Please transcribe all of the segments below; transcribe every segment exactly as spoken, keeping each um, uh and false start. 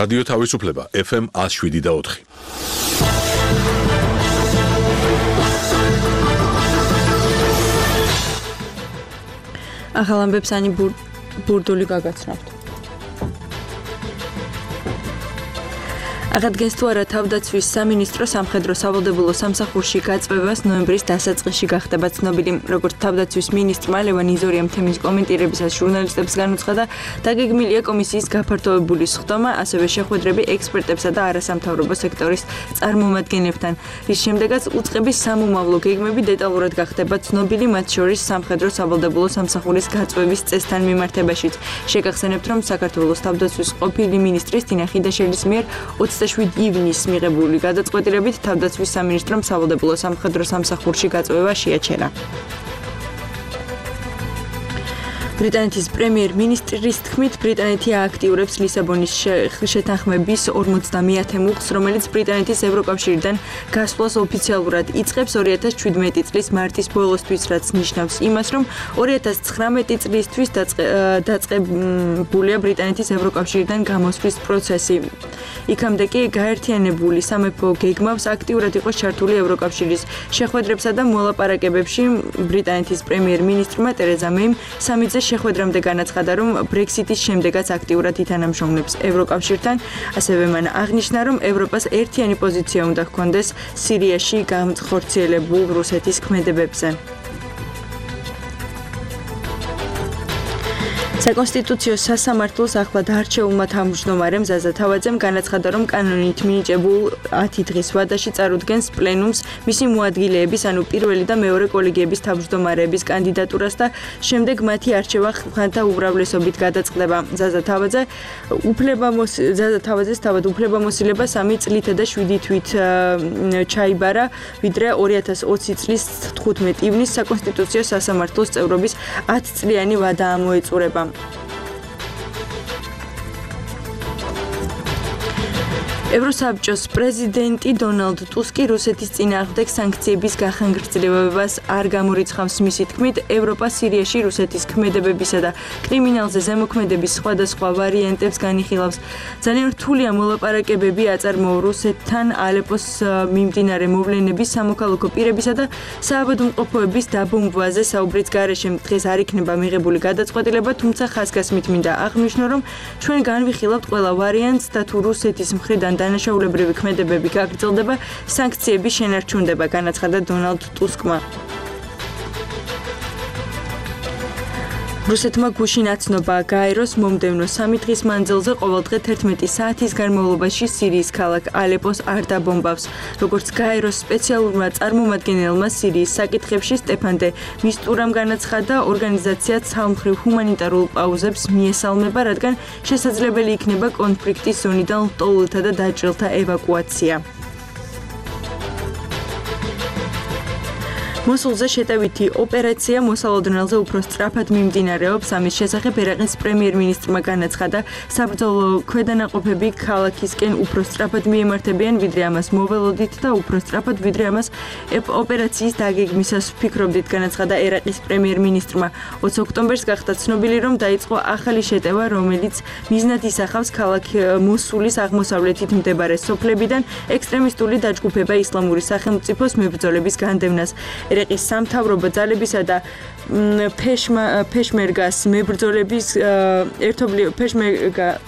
რადიო თავისუფლება ეფ ემ ათს შვიდი და ოთხი. ახალ ამბებს ანი ბურდული გაგაცნობთ. აღადგენს თუ არა თავდაცვის სამინისტრო სამხედრო სავალდებულო სამსახურში გაწვევას ნოემბრის დასაწყისში გახდება ცნობილი. როგორც თავდაცვის მინისტრმა ლევან იზორიამ თემის კომენტირებისას ჟურნალისტებს განუცხადა, დაგეგმილია კომისიის გაფართოებული სხდომა, ასევე შეხვედრები ექსპერტებსა და არასამთავრობო სექტორის წარმომადგენლებთან, რის შემდეგაც უწყების სამომავლო გეგმები დეტალურად გახდება ცნობილი, მათ შორის სამხედრო სავალდებულო სამსახურის გაწვევის წესთან მიმართებაშიც. შეგახსენებთ, რომ საქართველოს თავდაცვის ყოფილი მინისტრის თინა ხიდაშელის მიერ ოცდაშვიდი ივნისს მიღებული გადაწყვეტილებით თავდაცვის სამინისტრომ სავალდებულო სამხედრო სამსახურში გაწვევა შეაჩერა. ბრიტანეთის პრემიერ-მინისტრის თქმით, ბრიტანეთი ააქტიურებს ლისაბონის შეთანხმების ორმოცდამეათე მუხლს, რომელიც ბრიტანეთის ევროკავშირიდან გასვლას ოფიციალურად იწყებს ორი ათას შვიდმეტი წლის მარტის ბოლოსთვის, რაც ნიშნავს იმას, რომ ორი ათას ცხრამეტი წლისთვის დაწყებულია ბრიტანეთის ევროკავშირიდან გამოსვლის პროცესი. იქამდე კი გაერთიანებული სამეფო გეგმავს აქტიურად იყო ჩართული ევროკავშირის შეხვედრებსა და მოლაპარაკებებში. ბრიტანეთის პრემიერ-მინისტრმა ტერეზა მეიმ სამი წლის შეხვედრამდე განაცხადა, რომ ბრექსიტის შემდეგაც აქტიურად ითანამშრომლებს ევროკავშირთან. ასევე მან აღნიშნა, რომ ევროპას ერთიანი პოზიცია უნდა ჰქონდეს სირიაში განხორციელებულ რუსეთის ქმედებებზე. საკონსტიტუციო სასამართლოს ახლად არჩეულმა თავმჯდომარემ ზაზა თავაძემ განაცხადა, რომ კანონით მინიჭებულ ათი დღის ვადაში წარუდგენს პლენუმს მისი მოადგილეების, ანუ პირველი და მეორე კოლეგიების თავმჯდომარეების კანდიდატურას და შემდეგ მათი არჩევა ხმათა უმრავლესობით გადაწყდება. ზაზა თავაძე ზაზა თავაძეს თავად უფლებამოსილება სამი წლითა და შვიდი თვით ჩაიბარა, ვიდრე ორი ათას ოცი წლის თხუთმეტი ივნისს საკონსტიტუციო სასამართლოს წევრობის ათწლიანი ვადა ამოეწურება. ევროსაბჭოს პრეზიდენტი დონალდ ტუსკი რუსეთის წინააღმდეგ სანქციების გახანგრძლივებას არ გამორიცხავს. მისი თქმით, ევროპა სირიაში რუსეთის ქმედებებისა და კრიმინალზე ზემოქმედების სხვადასხვა ვარიანტებს განიხილავს. ძალიან რთულია მოლაპარაკებები აწარმოო რუსეთთან ალეპოს მიმდინარე მოვლენების, სამოქალაქო პირებისა და საავადმყოფოების დაბომბვაზე საუბრის გარეშე დღეს არ იქნება მიღებული გადაწყვეტილება, თუმცა ხაზგასმით მინდა აღნიშნო, რომ ჩვენ განვიხილავთ ყველა ვარიანტს და თუ რუსეთის მხრიდან დანაშაულებრივი ქმედებები გაგრძელდება, სანქციები შენარჩუნდება, განაცხადა დონალდ ტუსკმა. რუსეთმა გუშინ აცნობა გაეროს მომდევნო სამი დღის მანძილზე ყოველდღე თერთმეტი საათის განმავლობაში სირიის ქალაქ ალეპოს არ დაბომბავს. როგორც გაეროს სპეციალურმა წარმომადგენელმა სირიის საკითხებში სტეფან დე მისტურამ განაცხადა, ორგანიზაცია ცალმხრივ ჰუმანიტარულ პაუზებს მიესალმება, რადგან შესაძლებელი იქნება კონფლიქტის ზონიდან ლტოლვილთა და დაჭრილთა ევაკუაცია. მოსულზე შეტევითი ოპერაცია მოსალოდნელზე უფრო სწრაფად მიმდინარეობს. ამის შესახებ ერაყის პრემიერ-მინისტრმა განაცხადა, საბრძოლო ქვედანაყოფები ქალაქისკენ უფრო სწრაფად მიემართებიან, ვიდრე ამას მოველოდით და უფრო სწრაფად, ვიდრე ამას ოპერაციის დაგეგმისას ვფიქრობდით, განაცხადა ერაყის პრემიერ-მინისტრმა. ოცი ოქტომბერს გახდა ცნობილი, რომ დაიწყო ახალი შეტევა, რომელიც მიზნად ისახავს ქალაქ მოსულის აღმოსავლეთით მდებარე სოფლებიდან ექსტრემისტული დაჯგუფება ისლამური სახელმწიფოს მებრძოლების განდევნას. ერაყის სამთავრობო ძალებისა და ფეშმერგას მებრძოლების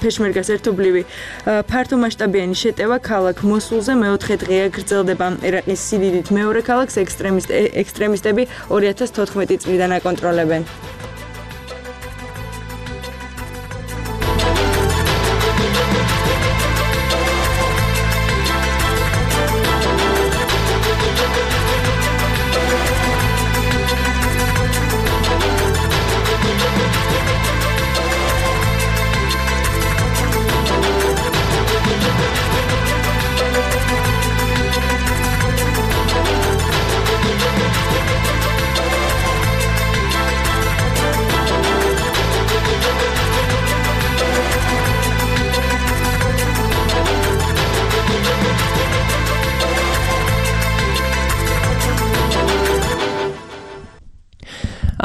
ფეშმერგას ერთობლივი ფართომასშტაბიანი შეტევა ქალაქ მოსულზე მეოთხე დღეა გრძელდება. ერაყის სიდიდით მეორე ქალაქს ექსტრემისტები ორი ათას თოთხმეტი წლიდან აკონტროლებენ.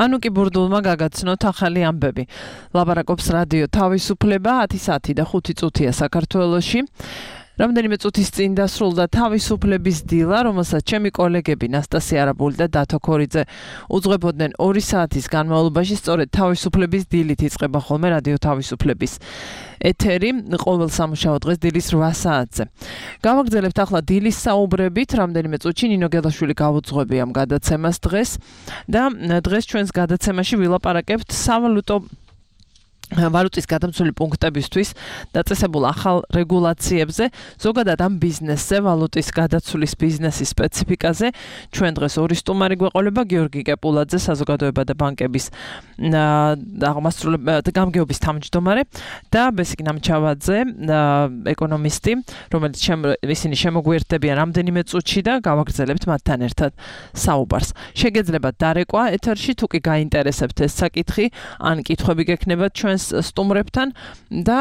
ანუ კი ბურდულმა გაგაცნოთ ახალი ამბები. ლაპარაკობს რადიო თავისუფლება ათი საათი და ხუთი წუთია საქართველოში. რამდენიმე წუთის წინ დასრულდა თავისუფლების დილა, რომელსაც ჩემი კოლეგები ნასტასია არაბული და დათო ქორიძე უძღვებოდნენ ორი საათის განმავლობაში, სწორედ თავისუფლების დილით იწყება ხოლმე რადიო თავისუფლების ეთერი ყოველ სამუშაო დღეს დილის რვა საათზე. გავაგრძელებთ ახლა დილის საუბრებით, რამდენიმე წუთში ნინო გელაშვილი გავუძღვები ამ გადაცემას დღეს და დღეს ჩვენს გადაცემაში ვილაპარაკებთ სავალუტო ვალუტის გადამცველი პუნქტებისთვის დაწესებულ ახალ რეგულაციებზე, ზოგადად ამ ბიზნესზე, ვალუტის გადაცვლის ბიზნესის სპეციფიკაზე. ჩვენ დღეს ორი სტუმარი გვეყოლება, გიორგი კეპულაძე, საზოგადოება და ბანკების გამგეობის თავმჯდომარე და ბესიკ ნამჩავაძე, ეკონომისტი, რომელიც ისინი შემოგვიერთდებიან რამდენიმე წუთში და გავაგრძელებთ მათთან ერთად საუბარს. შეგეძლებათ დარეკვა ეთერში, თუ კი გაინტერესებთ ეს საკითხი, ან კითხვები გექნებათ ჩვენ სტუმრებთან და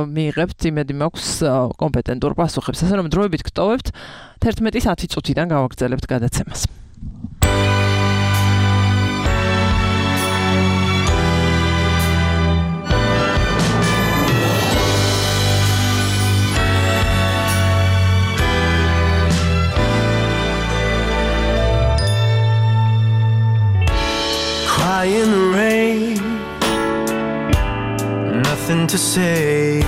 მიიღებთ იმედი მაქვს კომპეტენტურ პასუხებს. ასე რომ დროებით გტოვებთ თერთმეტის ათი წუთიდან გავაგრძელებთ გადაცემას. Cry in the rain, nothing to say.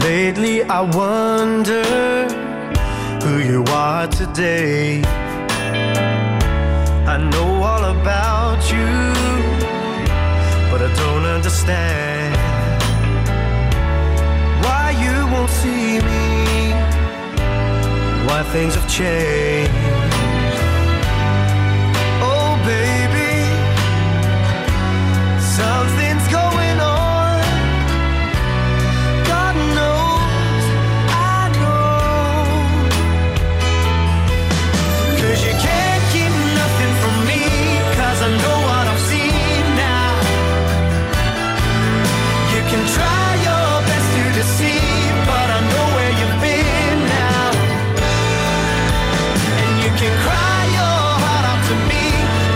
Lately I wonder who you are today. I know all about you, but I don't understand why you won't see me, why things have changed. Oh baby, something's going on. God knows I know. 'Cause you can't keep nothing from me, 'cause I know what I've seen now. You can try your best to deceive, but I know where you've been now. And you can cry your heart out to me,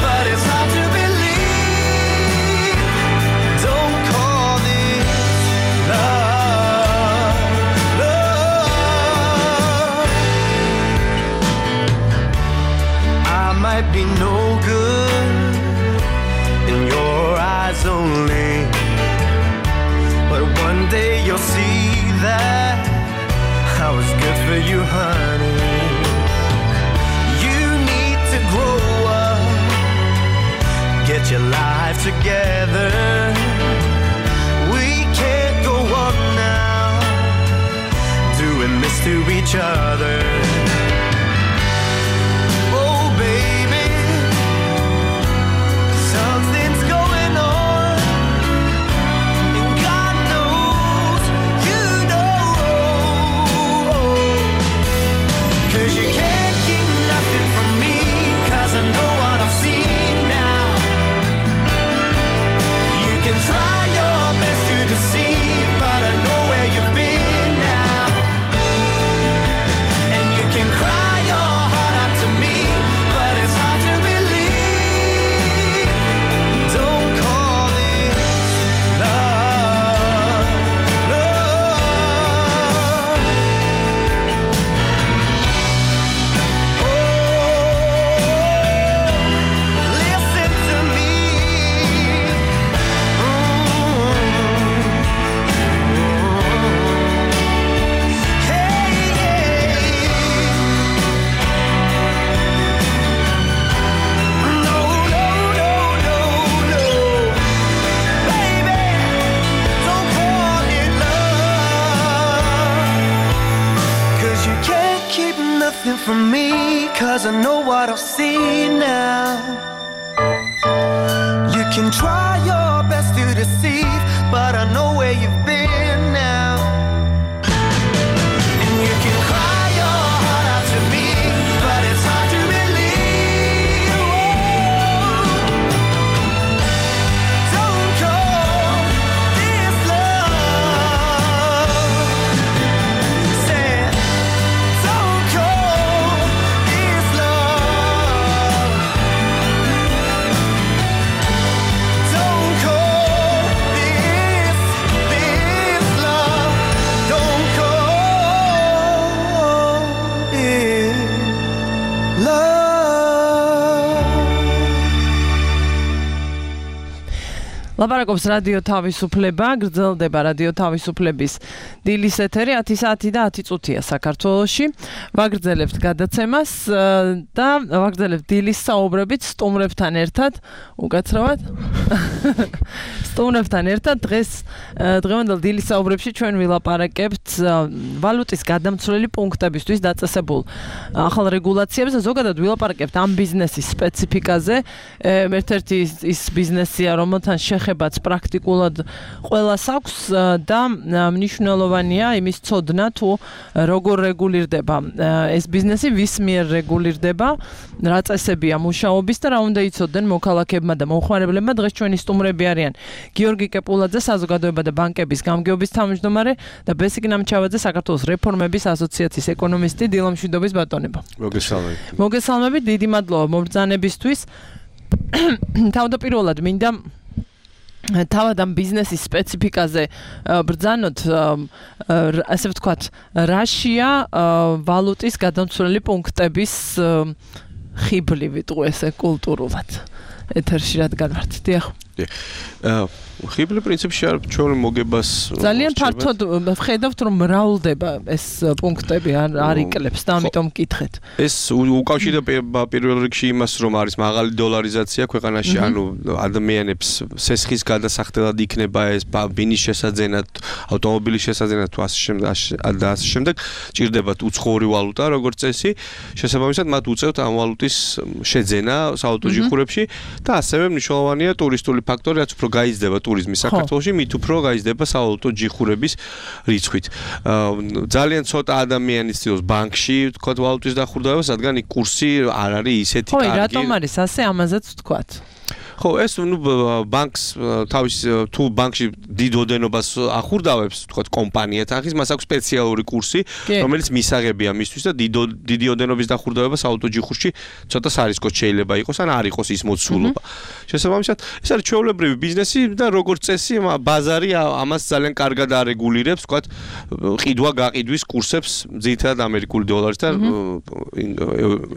but it's hard to believe. Don't call this love, love. I might be no good in your eyes only, but one day you'll see that I was good for you, honey. You need to grow up, get your life together. We can't go on now, doing this to each other. Oh baby, something's going on, and God knows you know. 'Cause you can't keep nothing from me, 'cause I know what I've seen now. You can try your best to deceive, but I know where you've been now. And you can cry your heart out to me, but it's hard to believe. Don't call this love, love. Oh, listen to me. Hey, no, no, no, no, no. Baby, don't call it love. 'Cause you can't keep nothing from me, 'cause I know what I've seen now. You can try your best to deceive, but I know where you've been now. And you can cry your heart out to me, but it's hard to believe. Oh, don't call this love. Say, don't call this love. ლაპარაკობს რადიო თავისუფლება, გრძელდება რადიო თავისუფლების დილის ეთერი ათი საათი და ათი წუთია საქართველოში. ვაგრძელებთ გადაცემას და ვაგრძელებთ დილის საუბრებით სტუმრებთან ერთად, უკაცრავად. სტუმრებთან ერთად დღეს დღევანდელ დილის საუბრებში ჩვენ ვილაპარაკებთ ვალუტის გადამცვლელი პუნქტებისთვის დაწესებულ ახალ რეგულაციებს და ზოგადად ვილაპარაკებთ ამ ბიზნესის სპეციფიკაზე. ერთ-ერთი ის ბიზნესია, რომელთან შეხებაც პრაქტიკულად ყველას აქვს და მნიშვნელოვანია იმის ცოდნა თუ როგორ რეგულირდება ეს ბიზნესი, ვის მიერ რეგულირდება, რა წესებია მუშაობის და რა უნდა იცოდნენ მოქალაქეებმა და მომხმარებლებმა. დღეს ჩვენი სტუმრები არიან გიორგი კეპულაძე, საზოგადოება და ბანკების გამგეობის თავმჯდომარე და ბესიკ ნამჩავაძე, საქართველოს რეფორმების ასოციაციის ეკონომისტი. დილამშვიდობის ბატონებო. მოგესალმებით. მოგესალმებით, დიდი მადლობა მობრძანებისთვის. თავდაპირველად მინდა თავად ამ ბიზნესის სპეციფიკაზე ბრძანოთ, ასე ვთქვათ, რაშია ვალუტის გადამცვლელი პუნქტების ხიბლი, ვიტყვი ესე კულტურულად. ეთერში რადგან ვართ, დიახ. ხიბლი პრინციპში არ ჩვენი მოგებას ძალიან ფართოდ ვხედავთ, რომ მრავლდება ეს პუნქტები, არ იკლებს და ამიტომ მკითხეთ. ეს უკავშირდება პირველ რიგში იმას, რომ არის მაღალი დოლარიზაცია ქვეყანაში, ანუ ადამიანებს სესხის გადასახდელად იქნება ეს ბინის შესაძენად, ავტომობილის შესაძენად თუ ასე შემდეგ და ასე შემდეგ, ჭირდებათ უცხოური ვალუტა, როგორც წესი, შესაბამისად მათ უწევთ ამ ვალუტის შეძენა საავტო ჯიხურებში და ასევე მნიშვნელოვანია ტურისტული ფაქტორი, რაც უფრო გაიზრდება ტურიზმი საქართველოში, მით უფრო გაიზრდება საავტო ჯიხურების რიცხვით. ძალიან ცოტა ადამიანი ცდილობს ბანკში თქვათ ვალუტის დახურდებას, რადგან იქ კურსი არ არის ისეთი კარგი. ხო, რატომ არის ასე, ამაზეც ვთქვათ. ხო, ეს ნუ ბანკს თავის თუ ბანკში დიდ ოდენობას ახურდავებს, თქვათ კომპანია თანხის, მას აქვს სპეციალური კურსი, რომელიც მისაღებია მისთვის და დიდი ოდენობის დახურდავება საავტო ჯიხურში ცოტა სარისკოდ შეიძლება იყოს, ან არ იყოს ის მოცულობა. შესაბამისად, ეს არის ჩვეულებრივი ბიზნესი და როგორც წესი, ბაზარი ამას ძალიან კარგად არეგულირებს, თქვათ, ყიდვა გაყიდვის კურსებს, ძირითადად ამერიკული დოლარის და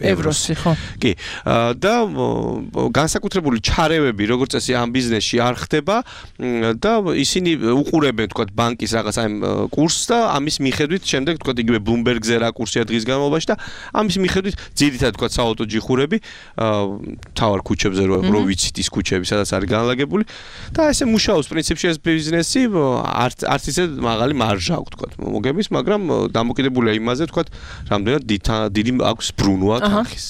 ევროსი, ხო. კი. და განსაკუთრებული ჩარევები, როგორც წესი, ამ ბიზნესში არ ხდება და ისინი უყურებენ, თქვათ, ბანკის რაღაც აი კურსს და ამის მიხედვით შემდეგ, თქვათ, იგივე Bloomberg-ზე რა კურსია დღის განმავლობაში და ამის მიხედვით ძირითადად, თქვათ, საავტო ჯიხურები თავარ ქუჩებზე რო ვიცით ის ქუჩები, სადაც არის განლაგებული და ესე მუშაობს პრინციპში ეს ბიზნესი, არც არც ისე მაღალი მარჟა აქვს, თქვათ, მოგების, მაგრამ დამოკიდებულია იმაზე, თქვათ, რამდენად დიდი აქვს ბრუნვა თანხის.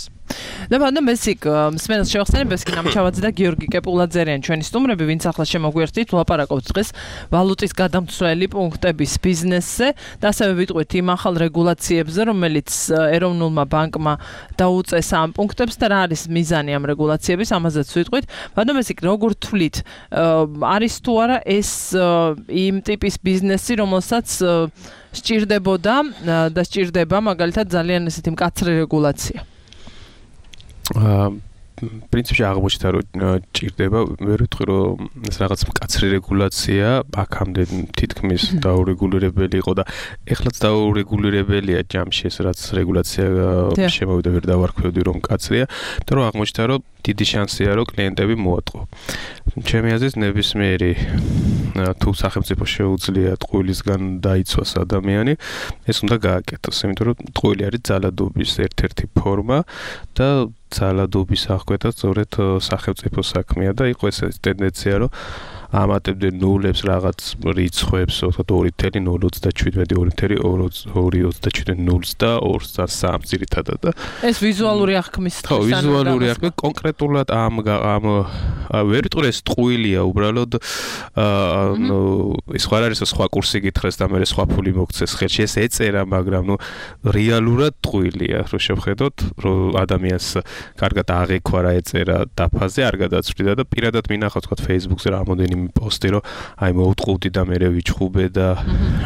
და ბანდა მესიკ მსმენელს შევახსენებ, ეს კი ნამჩავაძე და გიორგი კეპულაძე არიან ჩვენი სტუმრები, ვინც ახლა შემოგვერთით, ვლაპარაკობთ დღეს ვალუტის გადამცვლელი პუნქტების ბიზნესზე და ასევე ვიტყვით იმ ახალ რეგულაციებზე, რომელიც ეროვნულმა ბანკმა დაუწესა ამ პუნქტებს და რა არის მიზანი ამ რეგულაციების, ამაზეც ვიტყვით. ბანდა მესიკ, როგორ თვლით, არის თუ არა ეს იმ ტიპის ბიზნესი, რომელსაც სჭირდებოდა და სჭირდება მაგალითად ძალიან ესეთი მკაცრი რეგულაცია? პრინციპში აღმოჩნდა, რომ ჭირდება, ვერ ვიტყვი, რომ ეს რაღაც მკაცრი რეგულაცია აქამდე თითქმის დაურეგულირებელი იყო და ეხლაც დაურეგულირებელია ჯამში ეს რაც რეგულაცია შემოვიდა, ვერ დავარქვევდი, რომ მკაცრია, და რომ აღმოჩნდა, რომ დიდი შანსია, რომ კლიენტები მოატყო. ჩემი აზრით, ნებისმიერი თუ სახელმწიფო შეუძლია ტყუილისგან დაიცვას ადამიანი, ეს უნდა გააკეთოს, იმიტომ რომ ტყუილი არის ძალადობის ერთ-ერთი ფორმა და ძალადობის აღკვეთა სწორედ სახელმწიფო საქმეა და იყო ეს ტენდენცია, რომ ამატებდნენ ნულებს რაღაც რიცხვებს, თქო ორი ათეული ნული ოცდაშვიდი ორი ოცდაშვიდი ნულს და ორს და სამს ძირითადად და ეს ვიზუალური აღქმის ხო, ვიზუალური აღქმი კონკრეტულად ამ ამ ვერ ვიტყვი ეს ტყუილია უბრალოდ ანუ ის ხარ არის სხვა კურსი გითხრეს და მე სხვა ფული მოგცეს ხელში, ეს ეწერა, მაგრამ ნუ რეალურად ტყუილია, რომ შევხედოთ, რომ ადამიანს კარგად აღიქვა რა ეწერა დაფაზე, არ გადაწვდიდა და პირადად მინახავ თქვა Facebook-ზე რამოდენიმე პოსტი, რომ აი მოუტყუდი და მე ვიჩხუბე და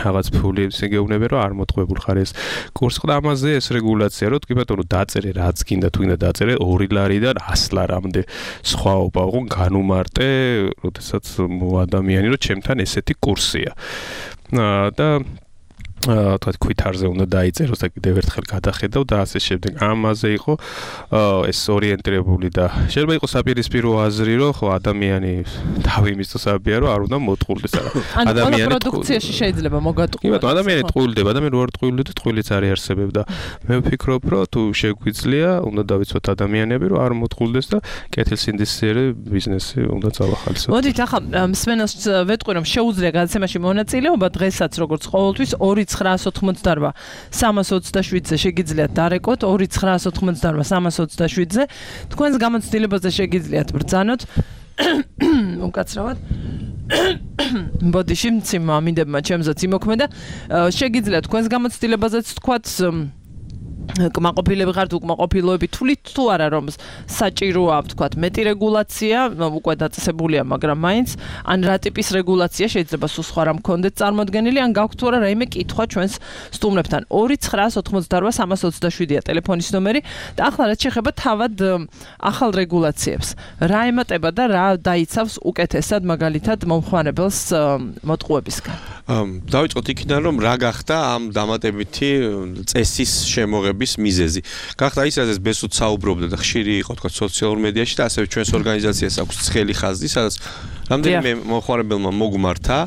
რაღაც ფული ისე გეუბნები, რომ არ მოტყუებულ ხარ ეს კურსი. და ამაზე ეს რეგულაცია, რომ თქვი ბატონო დაწერე რაც გინდა, თუ გინდა დაწერე ორი ლარიდან ას ლარამდე სხვაობა, ხო განუმარტე, როდესაც ადამიანი რომ ჩემთან ესეთი კურსია. და თქვა ქვითარზე უნდა დაიწეროს და კიდევ ერთხელ გადახედავ და ასე შემდეგ. ამაზე იყო ეს ორიენტირებული და შეიძლება იყოს საპირისპირო აზრი, რომ ხო ადამიანი თავი მისწოს აბიარო არ უნდა მოტყულდეს არა. ადამიანი პროდუქციაში შეიძლება მოგატყუა. იმიტომ ადამიანი ტყუილდება, ადამიანი რო არ ტყუილდება, ტყუილიც არ იარსებებ და მე ვფიქრობ, რომ თუ შეგვიძლია, უნდა დავიცვათ ადამიანები, რომ არ მოტყულდეს და კეთილსინდისიერი ბიზნესი უნდა წავახალისოთ. მოდით ახლა მსმენელს ვეტყვი, რომ შეუძლია გადაცემაში მონაწილეობა დღესაც როგორც ყოველთვის ორი ცხრაას ოთხმოცდაოთხ სამას ოცდაშვიდზე შეგიძლიათ დარეკოთ ორი ცხრაას ოთხმოცდაოთხ სამას ოცდაშვიდზე თქვენს გამოცდილებაზე შეგიძლიათ ბრძანოთ უკაცრავად ბოდიში მციმ ამინდებმა ჩემზეც იმოქმედა შეგიძლიათ თქვენს გამოცდილებაზეც თქვათ კმაყოფილები ხართ უკმაყოფილოები თulit თუ არა რომ საჭიროა ვთქვათ მეტი რეგულაცია უკვე დაწესებულია მაგრამ მაინც ან რა ტიპის რეგულაცია შეიძლება სულ სხვა რამ გქონდეთ წარმოდგენილი ან გაქვთ თუ არა რაიმე კითხვა ჩვენს სტუმრებთან ორი ცხრაას ოთხმოცდაოთხ სამას ოცდაშვიდია ტელეფონის ნომერი და ახლა რაც შეეხება თავად ახალ რეგულაციებს რა ემატება და რა დაიცავს უკეთესად მაგალითად მომხმარებელს მოტყუებისგან დავიწყოთ იქიდან რომ რა გახდა ამ დამატებითი წესის შემოღების მიზეზი. გახდა ის რაზეც ბესუთ საუბრობდა და ხშირი იყო თქვა სოციალურ მედიაში და ასევე ჩვენს ორგანიზაციას აქვს ცხელი ხაზი, სადაც რამდენიმე მომხმარებელმა მოგმართა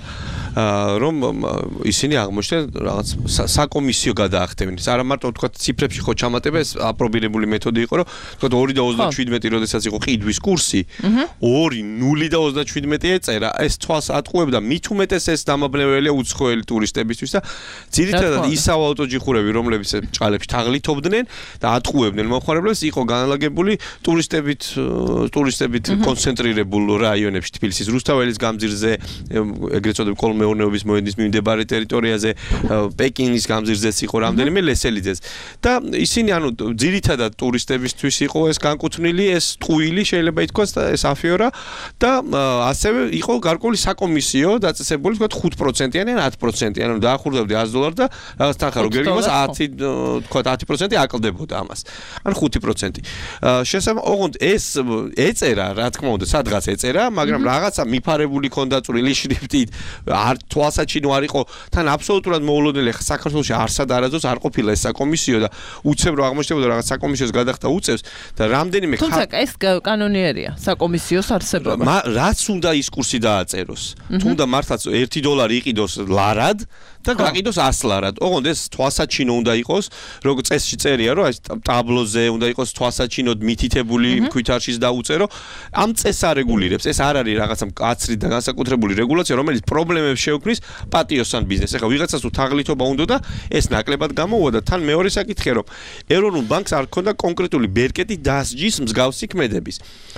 რომ ისინი აღმოჩნდნენ რაღაც საკომისიო გადაახდევენ. არა მარტო თქვა ციფრებში ხო ჩამატება ეს აპრობირებული მეთოდი იყო, რომ თქვა ორი და ოცდაშვიდმეტი როდესაც იყო ყიდვის კურსი, ორი ნული და ოცდაშვიდმეტი ეწერა, ეს თვალს ატყუებდა, მით უმეტეს ეს დამაბნეველია უცხოელი ტურისტებისთვის და ძირითადად ისავ ავტოჯიხურები, რომლებიც ჭალებში თაღლითობდნენ და ატყუებდნენ მომხმარებლებს, იყო განლაგებული ტურისტებით ტურისტებით კონცენტრირებულ რაიონებში, თბილისის რუსთაველის გამზირზე, ეგრეთ წოდებული კოლმე მეურნეობის მოედნის მიმდებარე ტერიტორიაზე, პეკინის გამზირზეც იყო რამდენიმე ლესელიძეც. და ისინი ანუ ძირითადად ტურისტებისთვის იყო ეს განკუთვნილი, ეს ტყუილი შეიძლება ითქვას და ეს αφიორა და ასევე იყო გარკვეული საკომისიო დაწესებული თქვა ხუთ პროცენტიანი ან ათი პროცენტიანი, ანუ დაახურდავდი ას დოლარი და რაღაც თანხა რო გერგიმას ათი თქვა ათი პროცენტი აკლდებოდა ამას. ან ხუთი პროცენტი. შესაძლოა ოღონდ ეს ეწერა, რა თქმა უნდა, სადღაც ეწერა, მაგრამ რაღაცა მიფარებული ქონდა წვრილი შრიფტით არ თვალსაჩინო არ იყო თან აბსოლუტურად მოულოდნელი ხა საქართველოში არსად არაძოს არ ყოფილა ეს საკომისიო და უცებ რო აღმოჩნდებოდა რაღაც საკომისიოს გადახდა უწევს და რამდენიმე თუმცა ეს კანონიერია საკომისიოს არსებობა რაც უნდა ის კურსი დააწეროს თუნდა მართლაც ერთი დოლარი იყიდოს ლარად და გაყიდოს ას ლარად ოღონდ ეს თვალსაჩინო უნდა იყოს როგორ წესში წერია რომ ეს ტაბლოზე უნდა იყოს თვალსაჩინოდ მითითებული ქვითარშიც დაუწერო ამ წესს არეგულირებს ეს არ არის რაღაცა მკაცრი და განსაკუთრებული რეგულაცია რომელიც პრობლემებს შეუქმნის პატიოსან ბიზნესს. ეხლა ვიღაცას თუ თაღლითობა უნდა და ეს ნაკლებად გამოუვა და თან მეორე საკითხია რომ ეროვნულ ბანკს არ ქონდა კონკრეტული ბერკეტი დასჯის მსგავსი ქმედების.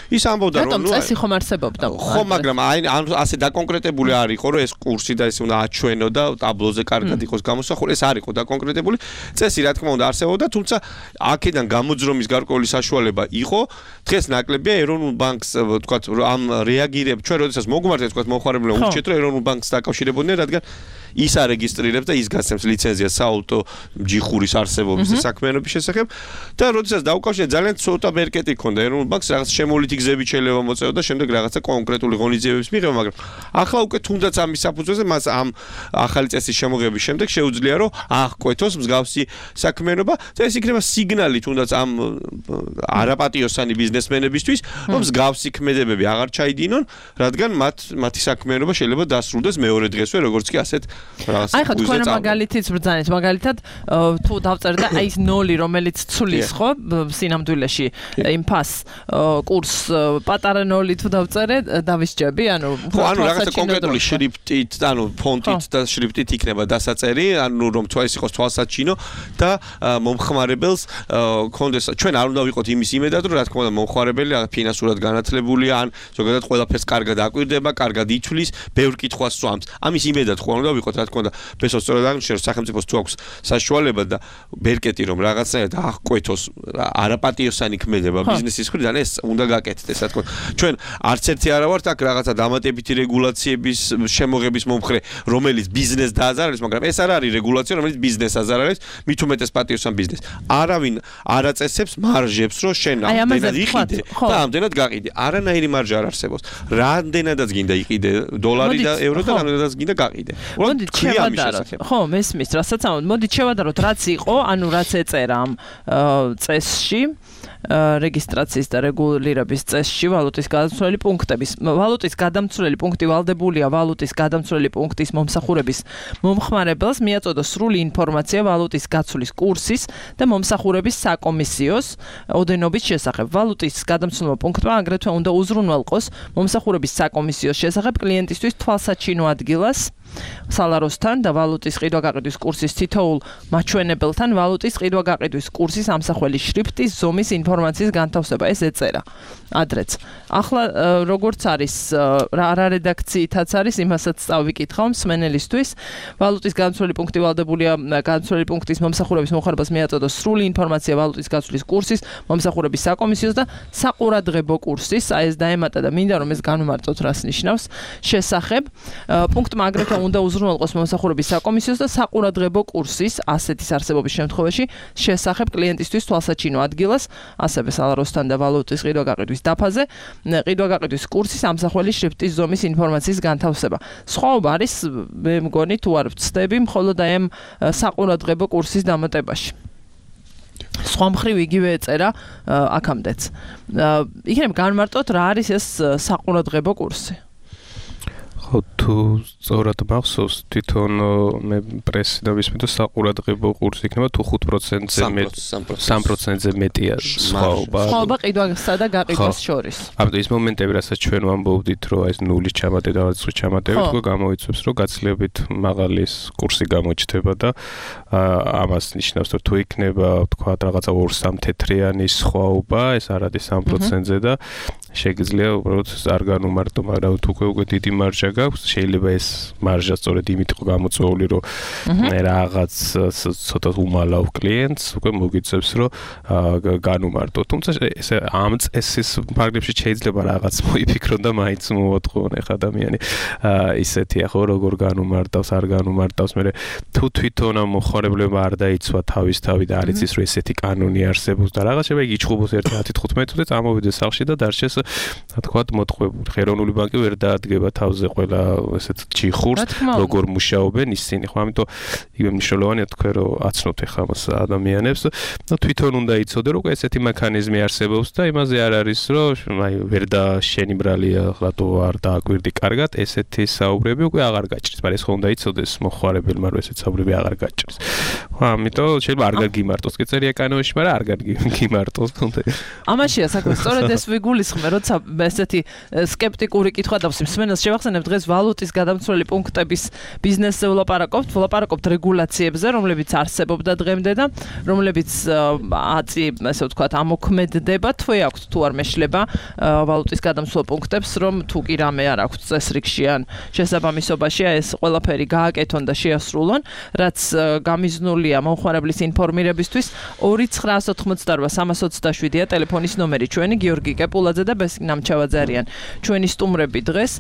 ის ამბობდა რომ ნუ წესი ხომ არსებობდა. ხო, მაგრამ აი ასე დაკონკრეტებული არ იყო რომ ეს კურსი და ეს უნდა აჩვენო და ტაბლოზე კარგად იყოს გამოსახული. ეს არ იყო დაკონკრეტებული. წესი რა თქმა უნდა არსებობდა, თუმცა აქედან გამოძრომის გარკვეული საშუალება იყო. დღეს ნაკლებია ეროვნულ ბანკს თქვა ამ რეაგირებ ჩვენ როდესაც მოგმართეთ თქვა მომხმარებელმა ურჩეთ რომ ეროვნულ ბანკს დაკავშირებოდნენ, რადგან ის არეგისტრირებს და ის გასცემს ლიცენზიას საავტო ჯიხურის არსებობის და საქმიანობის შესახებ და როდესაც დაუკავშირეთ ძალიან ცოტა ბერკეტი ქონდა ეროვნულ ბანკს რაღაც შემოვლითი გზებით შეიძლება მოწევა და შემდეგ რაღაცა კონკრეტული ღონისძიებების მიღება, მაგრამ ახლა უკვე თუნდაც ამის საფუძველზე მას ამ ახალი წესის შემოღების შემდეგ შეუძლია რომ აღკვეთოს მსგავსი საქმიანობა და ეს იქნება სიგნალი თუნდაც ამ არაპატიოსანი ბიზნესმენებისთვის რომ მსგავსი ქმედებები აღარ ჩაიდინონ, რადგან მათ მათი საქმიანობა შეიძლება დასრულდეს მეორე დღესვე როგორც კი ასეთ რაღაც აი ხო თქვენ მაგალითიც ბრძანეთ მაგალითად თუ დავწერთ და აი ეს ნოლი რომელიც ცulis ხო სინამდვილეში იმ ფას კურს პატარა ნოლი თუ დავწერე დავისჯები ანუ ხო ანუ რაღაცა კონკრეტული შრიფტით ანუ ფონტით და შრიფტით იქნება დასაწერი ანუ რომ თუ ეს იყოს თვალსაჩინო და მომხმარებელს კონდეს ჩვენ არ უნდა ვიყოთ იმის იმედად რომ რა თქმა უნდა მომხმარებელი ფინანსურად განათლებულია ან ზოგადად ყველაფერს კარგად აკვირდება კარგად ითვლის ბევრ კითხვას სვამს ამის იმედად ხო არ უნდა ვიყოთ რა თქმა უნდა ბესოს სწორად აღნიშნეს სახელმწიფოს თუ აქვს საშუალება და ბერკეტი რომ რაღაცნაირად აღკვეთოს არაპატიოსანი ქმედება ბიზნესის მხრიდან ეს უნდა გაკეთდეს რა თქმა უნდა ჩვენ არც ერთი არა ვართ აქ რაღაცა დამატებითი რეგულაციების შემოღების მომხრე რომელიც ბიზნესს დააზარალებს მაგრამ ეს არ არის რეგულაცია რომელიც ბიზნესს აზარალებს მით უმეტეს პატიოსან ბიზნესს არავინ არ აწესებს მარჟებს რომ შენ ამდენად იყიდე და ამდენად გაყიდე არანაირი მარჟა არ არსებობს რამდენადაც გინდა იყიდე დოლარი და ევრო და რამდენადაც გინდა გაყიდე უბრალოდ მოდით შევადაროთ. ხო, მესმის, რასაც ამბობ. მოდით შევადაროთ, რაც იყო, ანუ რაც ეწერა ამ წესში. რეგისტრაციის და რეგულირების წესში ვალუტის გადამცვლელი პუნქტების ვალუტის გადამცვლელი პუნქტი ვალდებულია ვალუტის გადამცვლელი პუნქტის მომსახურების მომხმარებელს მიაწოდოს სრული ინფორმაცია ვალუტის გაცვლის კურსის და მომსახურების საკომისიოს ოდენობის შესახებ. ვალუტის გადამცვლელმა პუნქტმა აგრეთვე უნდა უზრუნველყოს მომსახურების საკომისიოს შესახებ კლიენტისთვის თვალსაჩინო ადგილას სალაროსთან და ვალუტის ყიდვა-გაყიდვის კურსის თითოეულ მაჩვენებელთან ვალუტის ყიდვა-გაყიდვის კურსის ამსახველი შრიფტის ზომის ინფორმაციის განთავსება. ეს ეწერა ადრეც. ახლა როგორც არის რა რედაქციითაც არის, იმასაც წავიკითხავ მსმენელისთვის. ვალუტის გადამცვლელი პუნქტი ვალდებულია გადამცვლელი პუნქტის მომსახურების მომხმარებელს მიაწოდოს სრული ინფორმაცია ვალუტის გაცვლის კურსის, მომსახურების საკომისიოს და საყურადღებო კურსის, აი ეს დაემატა და მინდა რომ ეს განვმარტოთ რას ნიშნავს შესახებ. პუნქტმა აგრეთვე უნდა უზრუნველყოს მომსახურების საკომისიოს და საყურადღებო კურსის ასეთის არსებობის შემთხვევაში შესახებ კლიენტისთვის თვალსაჩინო ადგილას, ასევე სალაროსთან და ვალუტის ყიდვა-გაყიდვის დაფაზე, ყიდვა-გაყიდვის კურსის ამსახველი შრიფტის ზომის ინფორმაციის განთავსება. სხვაობა არის, მე მგონი თუ არ ვცდები, მხოლოდ აი ამ საყურადღებო კურსის დამატებაში. სხვა მხრივ იგივე ეწერა აქამდეც. იქნებ განმარტოთ რა არის ეს საყურადღებო კურსი. ხო, თუ სწორად მახსოვს, თვითონ მე პრესი და ვისმენთ საყურადღებო კურსი იქნება თუ ხუთ პროცენტზე მეტი სამ პროცენტზე მეტია სხვაობა. სხვაობა ყიდვასა და გაყიდვას შორის. ამიტომ ის მომენტები, რასაც ჩვენ ვამბობდით, რომ ეს ნულის ჩამატება და სხვა ჩამატებით, უკვე გამოიწვევს, რომ გაცილებით მაღალი კურსი გამოჩნდება და ამას ნიშნავს, რომ თუ იქნება, თქვა, რაღაცა ორ სამ თეთრიანი სხვაობა, ეს არ არის სამ პროცენტზე და შეგიძლია უბრალოდ არ განუმარტო, მაგრამ თუ უკვე უკვე დიდი მარჟა გაქვს, შეიძლება ეს მარჟა სწორედ იმით იყო გამოწვეული, რომ რაღაც ცოტა უმალავ კლიენტს უკვე მოგიწევს, რომ განუმარტო. თუმცა ეს ამ წესის ფარგლებში შეიძლება რაღაც მოიფიქრონ და მაინც მოვატყუონ ახ ადამიანი. ისეთია ხო, როგორ განუმარტავს, არ განუმარტავს, მე თუ თვითონ ამ მოხარებლებმა არ დაიცვა თავისთავი და არ იცის, რომ ესეთი კანონი არსებობს და რაღაც შეიძლება იგიჩხუბოს ერთი ათი თხუთმეტი წუთი წამოვიდეს სახლში და დარჩეს თქვათ მოთხოვებული. ხელოვნური ბანკი ვერ დაადგება თავზე ყველა ესეთ ჯიხურს, როგორ მუშაობენ ისინი. ხო, ამიტომ იგივე მნიშვნელოვანია თქვენ რომ აცნოთ ახლა მას ადამიანებს. ნუ თვითონ უნდა იცოდე რომ ესეთი მექანიზმი არსებობს და იმაზე არ არის რომ აი ვერ და შენი ბრალია ხლატო არ დააკვირდი კარგად, ესეთი საუბრები უკვე აღარ გაჭრის. მაგრამ ეს ხო უნდა იცოდეს მოხარებელმა რომ ესეთი საუბრები აღარ გაჭრის. ხო, ამიტომ შეიძლება არ გაგიმარტოს კეწერია კანონში, მაგრამ არ გაგიმარტოს. ამაშია საქმე, სწორედ ეს ვიგულისხმე, როცა ესეთი სკეპტიკური კითხვა დავს მსმენელს შევახსენებ დღეს ვალუტის გადამცვლელი პუნქტების ბიზნესზე ვლაპარაკობთ, ვლაპარაკობთ რეგულაციებზე, რომლებიც არსებობდა დღემდე და რომლებიც აწი, ესე ვთქვათ, ამოქმედდება, თუ აქვს თუ არ მეშლება ვალუტის გადამცვლელ პუნქტებს, რომ თუ კი რამე არ აქვს წესრიგში ან შესაბამისობაში ეს ყველაფერი გააკეთონ და შეასრულონ, რაც გამიზნულია მომხმარებლის ინფორმირებისთვის. ორი ცხრა ოთხმოცდაოთხ სამას ოცდაშვიდია ტელეფონის ნომერი, ჩვენი გიორგი კეპულაძე და ბესიკ ნამჩავაძე არიან ჩვენი სტუმრები დღეს.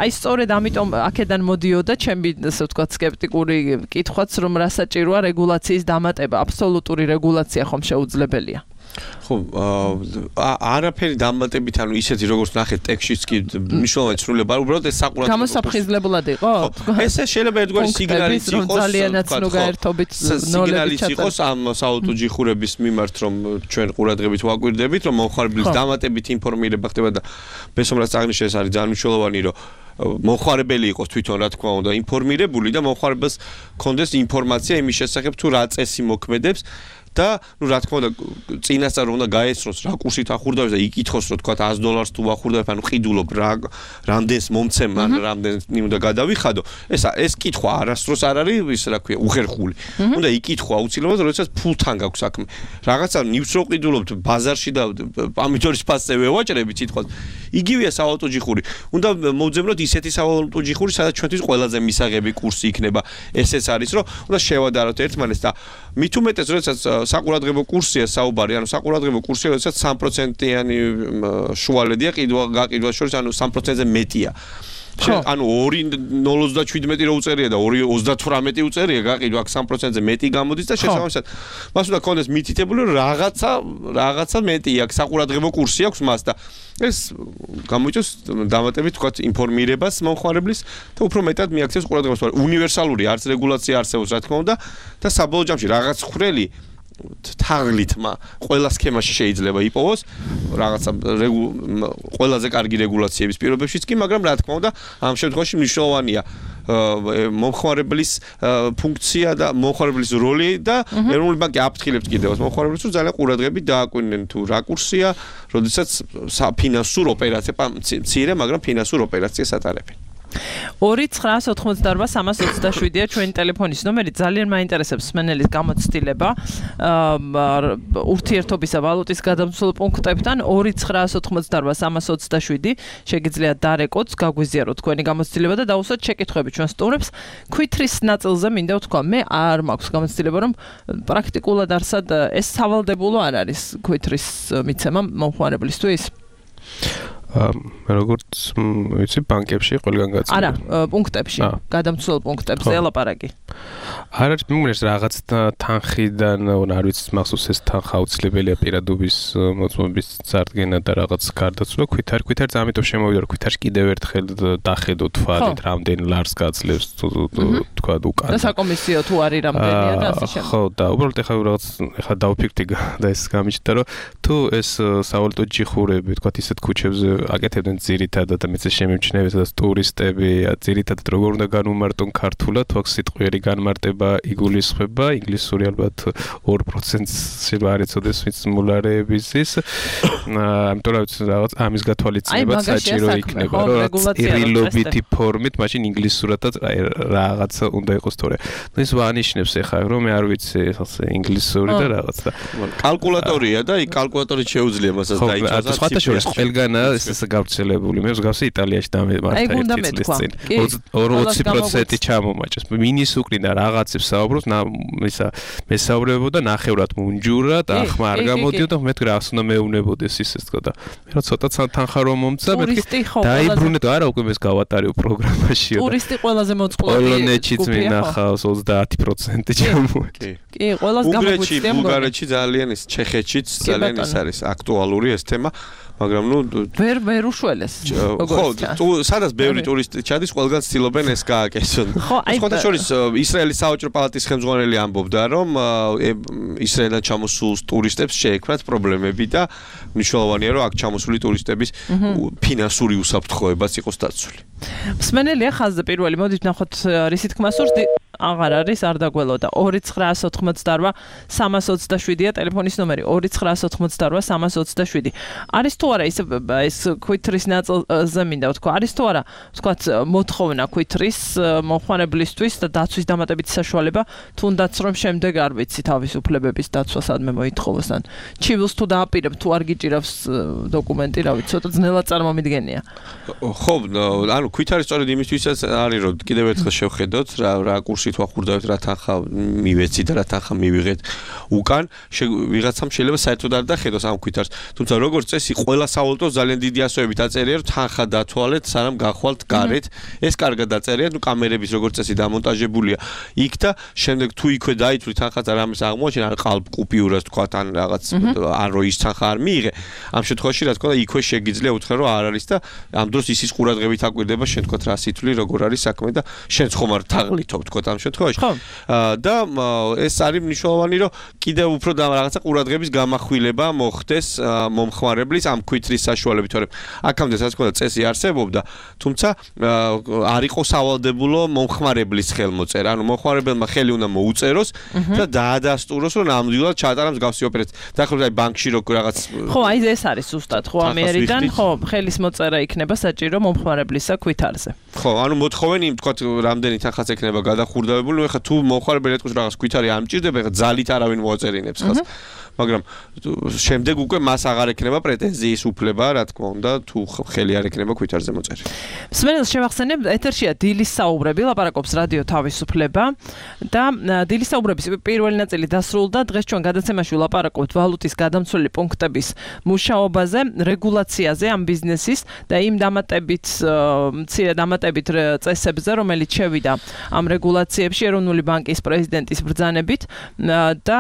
აი სწორედ ამიტომ აქედან მოდიოდა ჩემი ასე ვთქვათ სკეპტიკური კითხვაც, რომ რა საჭიროა რეგულაციის დამატება, აბსოლუტური რეგულაცია ხომ შეუძლებელია. ხო, არაფერი დამატებით, ანუ ისეთი როგორც ნახეთ ტექსტშიც კი მნიშვნელოვანი ცვლილება, უბრალოდ ეს საყურადღებო გამოსაფხიზლებლად იყო? ესე შეიძლება ერთგვარი სიგნალიც იყოს, ძალიანაც ნუ გაერთობით სიგნალიც იყოს ამ საავტო ჯიხურების მიმართ, რომ ჩვენ ყურადღებით ვაკვირდებით, რომ მომხმარებლის დამატებით ინფორმირება ხდება და ბესომრას აღნიშნე ეს არის ძალიან მნიშვნელოვანი, რომ მომხმარებელი იყოს თვითონ რა თქმა უნდა ინფორმირებული და მომხმარებელს კონდეს ინფორმაცია იმის შესახებ თუ რა წესი მოქმედებს და ნუ რა თქმა უნდა წინასწარ უნდა გაეცნოს რა კურსით ახურდავს და იკითხოს რომ თქვა ას დოლარს თუ ახურდავს ანუ ყიდულობ რა რამდენს მომცემ ან რამდენს უნდა გადავიხადო ეს ეს კითხვა არასდროს არ არის ის რა ქვია უხერხული უნდა იკითხვა აუცილებლად როდესაც ფულთან გაქვს საქმე რაღაცა ნივს რო ყიდულობთ ბაზარში და პამიდორის ფასზე ვევაჭრებით სიტყვას იგივეა საავტო ჯიხური უნდა მოვძებნოთ ისეთი საავტო ჯიხური სადაც ჩვენთვის ყველაზე მისაღები კურსი იქნება ესეც არის რომ უნდა შევადაროთ ერთმანეთს და მით უმეტეს როდესაც საყურადღებო კურსია საუბარი, ანუ საყურადღებო კურსია, როდესაც სამ პროცენტიანი შუალედია ყიდვა გაყიდვას შორის, ანუ სამ პროცენტზე მეტია. ანუ ორი ნულ ოცდაშვიდმეტი რო უწერია და ორი ოცდათვრამეტი უწერია, გაყიდო აქ სამი პროცენტზე მეტი გამოდის და შესაბამისად მას უნდა კონდეს მითითებული რომ რაღაცა რაღაცა მეტი აქვს, საყურადღებო კურსი აქვს მას და ეს გამოიწვევს დამატებით თქვა ინფორმირებას მომხმარებლის და უფრო მეტად მიაქცევს ყურადღებას. უნივერსალური არც რეგულაცია არსებობს რა თქმა უნდა და საბოლოო ჯამში რაღაც ხრელი თაღლითმა ყველა სქემაში შეიძლება იპოვოს რაღაცა ყველაზე კარგი რეგულაციების პირობებშიც კი, მაგრამ რა თქმა უნდა ამ შემთხვევაში მნიშვნელოვანია მომხმარებლის ფუნქცია და მომხმარებლის როლი და ეროვნული ბანკი აფრთხილებს კიდევ მომხმარებელს რომ ძალიან ყურადღებით დააკვირდნენ თუ რა კურსია, როდესაც საფინანსურ ოპერაციას მცირე, მაგრამ ფინანსურ ოპერაციას ატარებენ. ორი ცხრაას ოთხმოცდაორბა სამას ოცდაშვიდია ჩვენი ტელეფონის ნომერი. ძალიან მაინტერესებს მსმენელის გამოცდილება ურთიერთობისა ვალუტის გადამცველ პუნქტებთან. ორი ცხრაას ოთხმოცდაორბა სამას ოცდაშვიდი შეგიძლიათ დარეკოთ, გაგვიზიაროთ თქვენი გამოცდილება და დაუსვათ შეკითხვები ჩვენ სტუმრებს. ქვითრის ნაწილზე მინდა ვთქვა, მე არ მაქვს გამოცდილება, რომ პრაქტიკულად არსად ეს სავალდებულო არ არის ქვითრის მიცემა მომხმარებლისთვის. როგორც ვიცი ბანკებში ყველგან გაწევს. არა, პუნქტებში, გადამცველ პუნქტებზე ელაპარაკი. არ არის მიმარეს რაღაც თანხიდან, არ ვიცი მახსოვს ეს თანხა აუცილებელია პირადობის მოწმობის წარდგენა და რაღაც გარდაცვლა ქვითარ ქვითარს ამიტომ შემოვიდა რომ ქვითარს კიდევ ერთხელ დახედო თვალით რამდენ ლარს გაძლევს თქვა უკან. და საკომისიო თუ არის რამდენია და ასე შემდეგ. ხო და უბრალოდ ეხლა რაღაც ეხლა დავფიქრდი და ეს გამიჩნდა რომ თუ ეს სავალუტო ჯიხურები თქვა ისეთ ქუჩებზე აკეთებდნენ ძირითადად და მეც შემემჩნევია და ტურისტები ძირითადად როგორ უნდა განუმარტონ ქართულად თუ აქ სიტყვიერი განმარტება იგულისხმება ინგლისური ალბათ ორი პროცენტს შეიძლება არ ეცოდეს ვინც მულარეების ის ამიტომ რაღაც ამის გათვალისწინებაც საჭირო იქნება რომ რაღაც ირილობითი ფორმით მაშინ ინგლისურადაც რაღაცა უნდა იყოს თორე ის ვანიშნებს ეხლა რომ მე არ ვიცი ეხლა ინგლისური და რაღაც და კალკულატორია და იქ კალკულატორით შეუძლია მასაც დაიჭრას და სხვათა შორის ყველგანა ეს გავრცელებული მე მსგავსი იტალიაში დამემართა ერთი წლის წინ ოცი პროცენტი ჩამომაჭრეს მინის უკრინა რაღაცებს საუბრობს ისა მესაუბრებოდა ნახევრად მუნჯურად ახმა არ გამოდიოდა მეთქი რა უნდა მეუნებოდეს ისეს თქო და მე რა ცოტა თანხა რომ მომცა მეთქი დაიბრუნე და არა უკვე ეს გავატარებ პროგრამაში ტურისტი ყველაზე მოწყვლადი პოლონეთშიც მინახავს ოცდაათი პროცენტი ჩამოდი კი ყველას გამოგვიწია ბულგარეთში ძალიან ის ჩეხეთშიც ძალიან ის არის აქტუალური ეს თემა მაგრამ ნუ ვერ ვერ უშველეს ხო თუ სადაც ბევრი ტურისტი ჩადის ყველგან ცდილობენ ეს გააკეთონ ხოთა შორის ისრაელის საოჯრო პალატის ხელმძღვანელი ამბობდა რომ ისრაელიდან ჩამოსულ ტურისტებს შეექმნათ პრობლემები და მნიშვნელოვანია რომ აქ ჩამოსული ტურისტების ფინანსური უსაფრთხოებაც იყოს დაცული მსმენელია ხაზზე პირველი მოდით ნახოთ რისი თქმა სურს აღარ არის არ დაგველოდა ორი ცხრაას ოთხმოცდაორბა სამას ოცდაშვიდია ტელეფონის ნომერი ორი ცხრაას ოთხმოცდაორბა სამას ოცდაშვიდი არის თუ არა ის ეს ქვითრის ნაწილზე მინდა ვთქვა არის თუ არა ვთქვათ მოთხოვნა ქვითრის მომხმარებლისთვის და დაცვის დამატებითი საშუალება თუნდაც რომ შემდეგ არ ვიცი თავისუფლებების დაცვა სადმე მოითხოვოს ან ჩივილს თუ დააპირებ თუ არ გიჭირავს დოკუმენტი რა ვიცი ცოტა ძნელად წარმომიდგენია ხო ანუ ქვითარი სწორედ იმისთვისაც არის რომ კიდევ ერთხელ შევხედოთ რა რა კურსი თუ ახურდავთ რა თანხა მივეცით და რა თანხა მივიღეთ უკან ვიღაცამ შეიძლება საერთოდ არ დახედოს ამ ქვითარს თუმცა როგორც წესი ყველა სავალუტო ძალიან დიდი ასოებით აწერია რომ თანხა დათვალეთ სანამ გახვალთ გარეთ ეს კარგად დაწერია ნუ კამერების როგორც წესი დამონტაჟებულია იქ და შემდეგ თუ იქვე დაითვლით თანხაც არ ამის აღმოჩენა ან ყალბ კუპიურას თქვა ან რაღაც ან რო ის თანხა არ მიიღე ამ შემთხვევაში რა თქმა უნდა იქვე შეგიძლია უთხრა რომ არ არის და ამ დროს ისის ყურადღებით აკვირდება შენ თქვა რა სითვლი როგორ არის საქმე და შენც ხომ არ თაღლითობ თქვა ამ შემთხვევაში და ეს არის მნიშვნელოვანი რომ კიდევ უფრო რაღაცა ყურადღების გამახვილება მოხდეს მომხმარებლის ამ ქვითრის საშუალებით თორემ აქამდე რა თქმა უნდა წესი არსებობდა თუმცა არ იყო სავალდებულო მომხმარებლის ხელმოწერა ანუ მომხმარებელმა ხელი უნდა მოუწეროს და დაადასტუროს რომ ნამდვილად ჩაატარა მსგავსი ოპერაცია დაახლოებით აი ბანკში როგორ რაღაც ხო აი ეს არის ზუსტად ხო ამერიდან ხო ხელის მოწერა იქნება საჭირო მომხმარებლისა ქვითარზე ხო ანუ მოთხოვენ იმ თქვა რამდენი თანხაც ექნება გადახურდავებული ეხლა თუ მომხმარებელი ეთქვის რაღაც ქვითარი არ მჭირდება ეხლა ძალით არავინ მოაწერინებს ხელს მაგრამ შემდეგ უკვე მას აღარ ექნება პრეტენზიის უფლება, რა თქმა უნდა, თუ ხელი არ ექნება ქვითარზე მოწერი. მსმენელს შევახსენებ, ეთერშია დილის საუბრები, ლაპარაკობს რადიო თავისუფლება და დილის საუბრების პირველი ნაწილი დასრულდა. დღეს ჩვენ გადაცემაში ვლაპარაკობთ ვალუტის გადამცვლელი პუნქტების მუშაობაზე, რეგულაციაზე ამ ბიზნესის და იმ დამატებით მცირე დამატებით წესებზე, რომელიც შევიდა ამ რეგულაციებში ეროვნული ბანკის პრეზიდენტის ბრძანებით და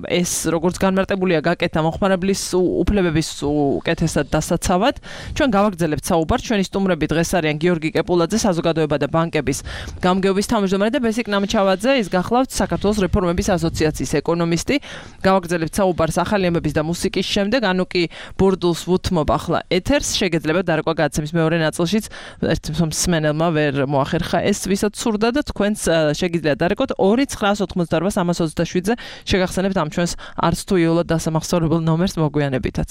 ეს როგორც განმარტებულია გაკეთა მოხმარებლის უფლებების უკეთესად დასაცავად. ჩვენ გავაგრძელებთ საუბარს. ჩვენი სტუმრები დღეს არიან გიორგი კეპულაძე, საზოგადოება და ბანკების გამგეობის თავმჯდომარე და ბესიკ ნამჩავაძე, ის გახლავთ საქართველოს რეფორმების ასოციაციის ეკონომისტი. გავაგრძელებთ საუბარს ახალი ამბების და მუსიკის შემდეგ, ანუ კი ბურდულს ვუთმობ ახლა ეთერს. შეგეძლება დარეკვა გადაცემის მეორე ნაწილშიც ერთ მსმენელმა ვერ მოახერხა ეს, ვისაც სურდა და თქვენს შეგიძლიათ დარეკოთ ორი ცხრაას ოთხმოცდაორბა სამას ოცდაშვიდზე. შეგახსენებთ ამ ჩვენს არც თუ იოლად დასამახსოვრებელ ნომერს მოგვიანებითაც.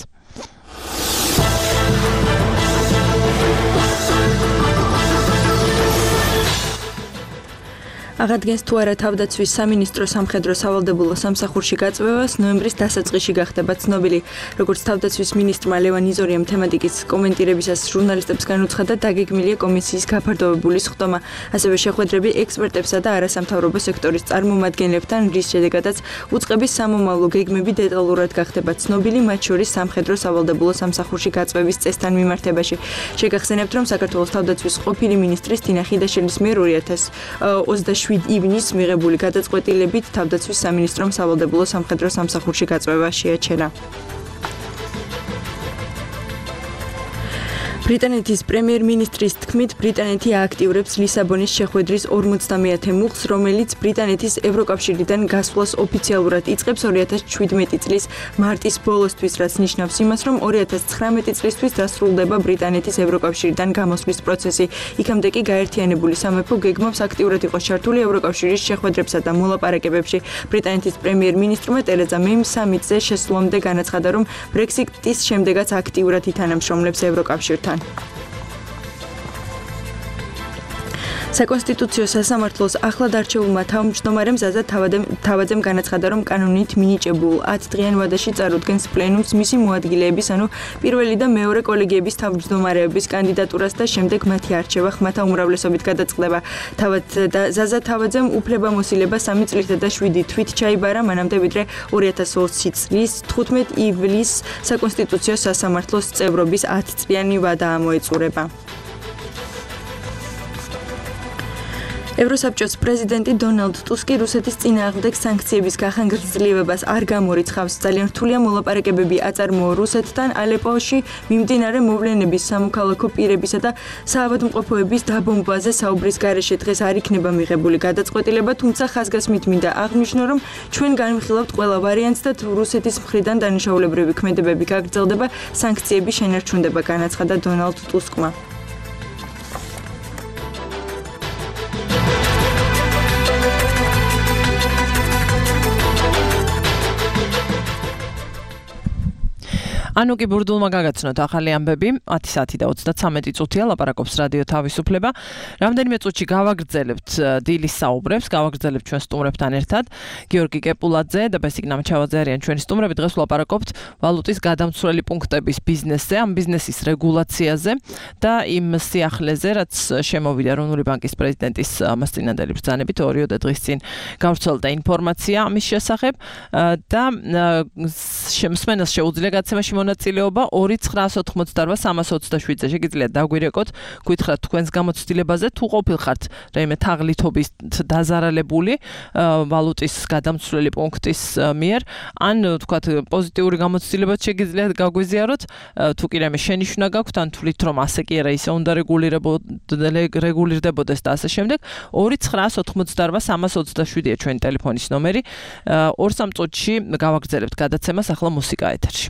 აღადგენს თუ არა თავდაცვის სამინისტრო სამხედრო სავალდებულო სამსახურში გაწვევას ნოემბრის დასაწყისში გახდება ცნობილი. როგორც თავდაცვის მინისტრმა ლევან იზორიამ თემატიკის კომენტირებისას ჟურნალისტებს განუცხადა, დაგეგმილია კომისიის გაფართოებული სხდომა, ასევე შეხვედრები ექსპერტებსა და არასამთავრობო სექტორის წარმომადგენლებთან, რის შედეგადაც უწყების სამომავლო გეგმები დეტალურად გახდება ცნობილი, მათ შორის სამხედრო სავალდებულო სამსახურში გაწვევის წესთან მიმართებაში. შეგახსენებთ, რომ საქართველოს თავდაცვის ყოფილი მინისტრის თინა ხიდაშელის მიერ ორი ათას ოცდაშვიდი ივნისს მიღებული გადაწყვეტილებით თავდაცვის სამინისტრომ სავალდებულო სამხედრო სამსახურში გაწვევა შეაჩერა. ბრიტანეთის პრემიერ-მინისტრის თქმით, ბრიტანეთი ააქტიურებს ლისაბონის შეხვედრის ორმოცდამეათე მუხლს, რომელიც ბრიტანეთის ევროკავშირიდან გასვლას ოფიციალურად იწყებს ორი ათას შვიდმეტი წლის მარტის ბოლოსთვის, რაც ნიშნავს იმას, რომ ორი ათას ცხრამეტი წლისთვის დასრულდება ბრიტანეთის ევროკავშირიდან გამოსვლის პროცესი. იქამდე კი გაერთიანებული სამეფო გეგმავს აქტიურად იყოს ჩართული ევროკავშირის შეხვედრებსა და მოლაპარაკებებში. ბრიტანეთის პრემიერ-მინისტრმა ტერეზა მეიმ სამიტზე შესვლამდე განაცხადა, რომ ბრექსიტის შემდეგაც აქტიურად ითანამშრომლებს ევროკავშირთან. საკონსტიტუციო სასამართლოს ახლად არჩეულმა თავმჯდომარემ ზაზა თავაძემ განაცხადა, რომ კანონით მინიჭებულ ათდღიან ვადაში წარუდგენს პლენუმს მისი მოადგილეების, ანუ პირველი და მეორე კოლეგიების თავმჯდომარეების კანდიდატურას და შემდეგ მათი არჩევა ხმათა უმრავლესობით გადაწყდება. თავად და ზაზა თავაძემ უფლებამოსილება სამი წლითა და შვიდი თვით ჩაიბარა, მანამდე ვიდრე ორი ათას ოცი წლის თხუთმეტ ივლისს საკონსტიტუციო სასამართლოს წევრობის ათწლიანი ვადა ამოეწურება. ევროსაბჭოს პრეზიდენტი დონალდ ტუსკი რუსეთის წინააღმდეგ სანქციების გახანგრძლივებას არ გამორიცხავს. ძალიან რთულია მოლაპარაკებები აწარმოო რუსეთთან ალეპოში მიმდინარე მოვლენების სამოქალაქო პირებისა და საავადმყოფოების დაბომბვაზე საუბრის გარეშე დღეს არ იქნება მიღებული გადაწყვეტილება, თუმცა ხაზგასმით მინდა აღნიშნო, რომ ჩვენ განვიხილავთ ყველა ვარიანტს და თუ რუსეთის მხრიდან დანიშნულებრივი ქმედებები გაგრძელდება, სანქციები შენარჩუნდება, განაცხადა დონალდ ტუსკმა. ანუ კი ბურდულმა გაგაცნოთ ახალი ამბები, ათი საათი და ოცდაცამეტი წუთია, ლაპარაკობს რადიო თავისუფლება. რამდენიმე წუთში გავაგრძელებთ დილის საუბრებს, გავაგრძელებთ ჩვენ სტუმრებთან ერთად. გიორგი კეპულაძე და ბესიკ ნამჩავაძე არიან ჩვენი სტუმრები. დღეს ვლაპარაკობთ ვალუტის გადამცვლელი პუნქტების ბიზნესზე, ამ ბიზნესის რეგულაციაზე და იმ სიახლეზე, რაც შემოვიდა ეროვნული ბანკის პრეზიდენტის მასწინებელი ბრძანებით ორიოდე დღის წინ გავრცელდა ინფორმაცია ამის შესახებ და მსმენელს შეუძლია გაცემაში მონაწილეობა ორი ცხრაას ოთხმოცდაორბა სამას ოცდაშვიდზე. შეგიძლიათ დაგვირეკოთ, გითხრათ თქვენს გამოცდილებაზე, თუ ყოფილხართ რაიმე თაღლითობის დაზარალებული ვალუტის გადამცვლელი პუნქტის მიერ, ან თქვათ პოზიტიური გამოცდილებაც შეგიძლიათ გაგვიზიაროთ, თუ კი რაიმე შენიშვნა გაქვთ, ან თვლით რომ ასე კი არა, ისე უნდა რეგულირდებოდეს და ასე შემდეგ. ორი ცხრაას ოთხმოცდაორბა სამას ოცდაშვიდია ჩვენი ტელეფონის ნომერი. ორ სამ წუთში გავაგრძელებთ გადაცემას, ახლა მუსიკა ეთერში.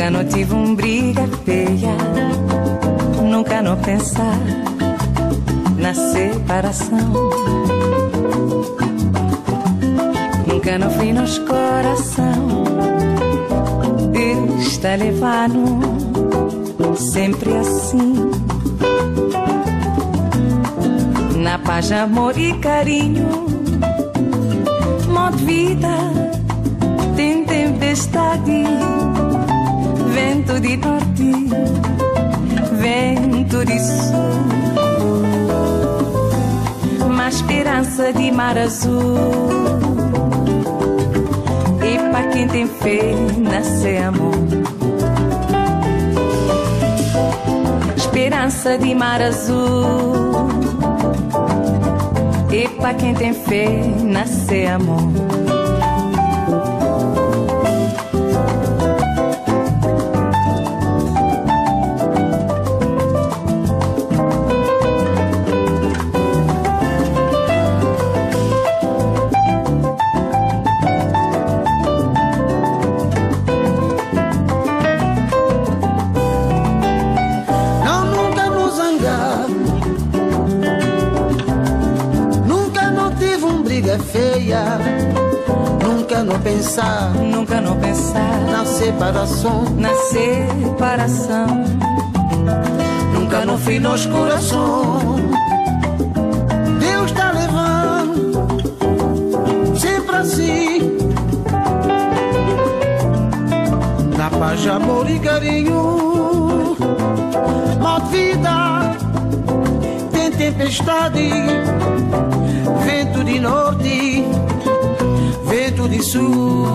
Nunca não tive um briga feia, nunca não pensar na separação. Nunca não fui nos coração, Deus está levando sempre assim. Na paz, amor e carinho, modo vida tem tempestade, vento de norte, vento de sul, uma esperança de mar azul. E pra quem tem fé, nascer amor. Esperança de mar azul. E pra quem tem fé, nascer amor. Feia, nunca não pensar, nunca não pensar na separação, na separação. Nunca não fui nos coração, Deus está levando sempre assim. Na paz, amor e carinho, mal vida tem tempestade, vento de norte, vento de sul,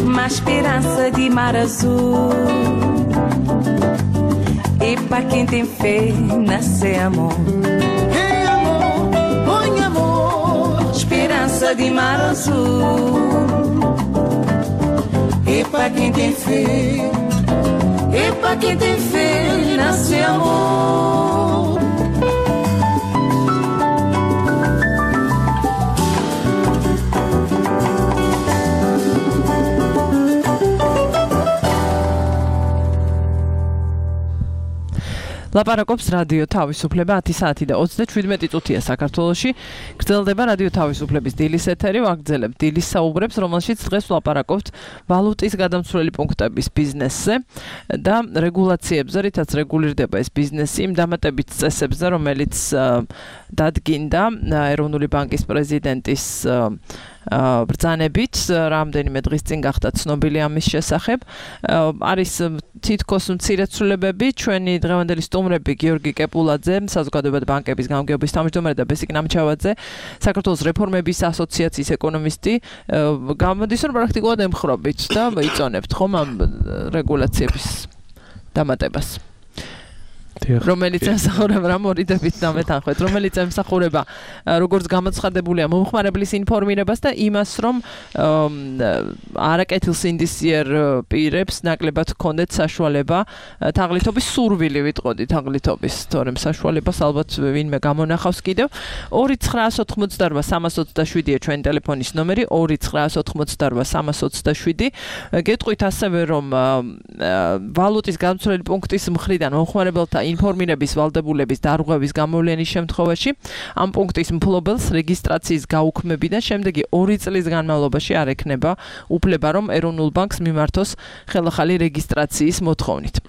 uma esperança de mar azul. E pra quem tem fé, nascer amor. Hey amor, oi amor, esperança de mar azul. E pra quem tem fé, e pra quem tem fé, nascer amor. ლაპარაკობს რადიო თავისუფლება ათი საათი და ოცდაშვიდმეტი წუთია საქართველოში. გრძელდება რადიო თავისუფლების დილის ეთერი, ვაგრძელებთ დილის საუბრებს, რომელშიც დღეს ვლაპარაკობთ ვალუტის გადამცვლელი პუნქტების ბიზნესზე და რეგულაციებზე, რითაც რეგულირდება ეს ბიზნესი, იმ დამატებით წესებზე, რომელიც დადგინდა ეროვნული ბანკის პრეზიდენტის ბრძანებით, რამდენიმე დღის წინ გახდა ცნობილი ამის შესახებ. არის თითქოს მცირეცვლილებები, ჩვენი დღევანდელი სტუმრები გიორგი კეპულაძე, საზოგადოებრივი ბანკების გამგეობის თავმჯდომარე და ბესიკ ნამჩავაძე, საქართველოს რეფორმების ასოციაციის ეკონომისტი, გამოდის რომ პრაქტიკულად ემხრობით და იწონებთ ხომ ამ რეგულაციების დამატებას. რომელიც ემსახურება რა მორიდებით დამეთანხმეთ, რომელიც ემსახურება როგორც გამოცხადებულია მომხმარებლის ინფორმირებას და იმას, რომ არაკეთილ სინდისიერ პირებს ნაკლებად ჰქონდეთ საშუალება თაღლითობის სურვილი ვიტყოდი თაღლითობის, თორემ საშუალებას ალბათ ვინმე გამონახავს კიდევ. ორი ცხრაას ოთხმოცდარვა სამას ოცდაშვიდია ჩვენი ტელეფონის ნომერი, ორი ცხრაას ოთხმოცდარვა სამას ოცდაშვიდი. გეტყვით ასევე, რომ ვალუტის გადამცვლელი პუნქტის მხრიდან მომხმარებელთა ინფორმირების ვალდებულების დარღვევის გამოვლენის შემთხვევაში ამ პუნქტის მფლობელს რეგისტრაციის გაუქმებიდან შემდეგი ორი წლის განმავლობაში არ ექნება უფლება, რომ ეროვნულ ბანკს მიმართოს ხელახალი რეგისტრაციის მოთხოვნით.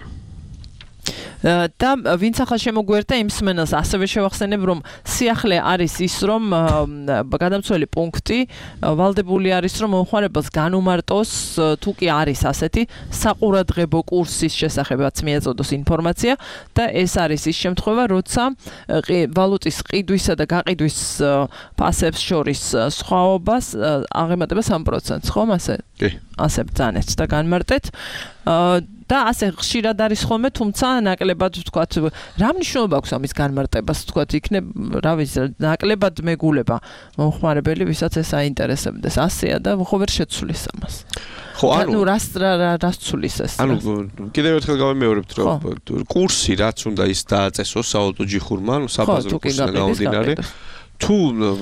და ვინც ახლა შემოგვერთა იმ სმენელს ასევე შევახსენებ, რომ სიახლე არის ის, რომ გადამცვლელი პუნქტი ვალდებული არის, რომ მომხმარებელს განუმარტოს, თუ კი არის ასეთი საყურადღებო კურსის შესახებაც მიეწოდოს ინფორმაცია და ეს არის ის შემთხვევა, როცა ვალუტის ყიდვისა და გაყიდვის ფასებს შორის სხვაობას აღემატება სამ პროცენტს, ხომ ასე? კი. ასე ბრძანეთ და განმარტეთ. და ასე ხშირად არის ხოლმე, თუმცა ნაკლებად ვთქვათ, რა მნიშვნელობა აქვს ამის განმარტებას, ვთქვათ, იქნებ, რა ვიცი, ნაკლებად მეგულება მომხმარებელი, ვისაც ეს აინტერესებდეს. ასეა და ხო ვერ შეცვლის ამას. ხო, ანუ რას რას ცვლის ეს? ანუ კიდევ ერთხელ გავიმეორებთ, რომ კურსი რაც უნდა ის დააწესოს საავტო ჯიხურმა, ანუ საბაზრო კურსიდან გამომდინარე. თუ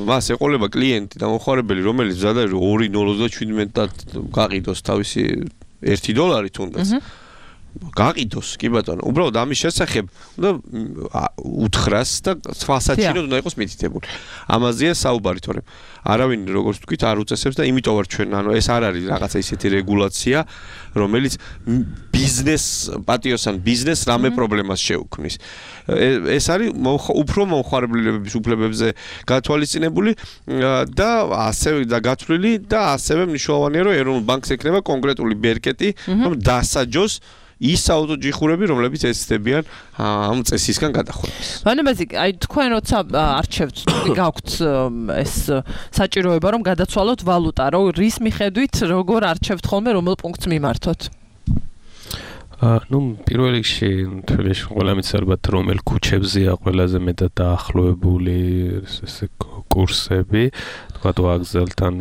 მას ეყოლება კლიენტი და მომხმარებელი, რომელიც მზად არის ორი ნული ოცდაშვიდმეტად გაყიდოს თავისი ერთი დოლარი თუნდაც. გაყიდოს, კი ბატონო. უბრალოდ ამის შესახებ უნდა უთხრას და თვალსაჩინოდ უნდა იყოს მითითებული. ამაზეა საუბარი, თორემ არავინ როგორც ვთქვით არ უწესებს და იმიტომ ვარ ჩვენ, ანუ ეს არ არის რაღაცა ისეთი რეგულაცია, რომელიც ბიზნეს პატიოსან ბიზნეს რამე პრობლემას შეუქმნის. ეს არის უფრო მომხმარებლების უფლებებზე გათვალისწინებული და ასევე და გათვლილი და ასევე მნიშვნელოვანია, რომ ეროვნულ ბანკს ექნება კონკრეტული ბერკეტი, რომ დასაჯოს ის საავტოჯიხურები, რომლებიც ეცდებიან ამ წესისგან გადახვედეს. მანებაზე, აი თქვენ როცა არჩევთ, გაქვთ ეს საჭიროება, რომ გადაცვალოთ ვალუტა, რომ რის მიხედვით როგორ არჩევთ ხოლმე რომელ პუნქტს მიმართოთ? აა, ну, პირველ რიგში, თველეში ყველამიც ალბათ რომელ ქუჩებზეა ყველაზე მეტად დაახლოებული ესე კურსები, თქვა ვაგზალთან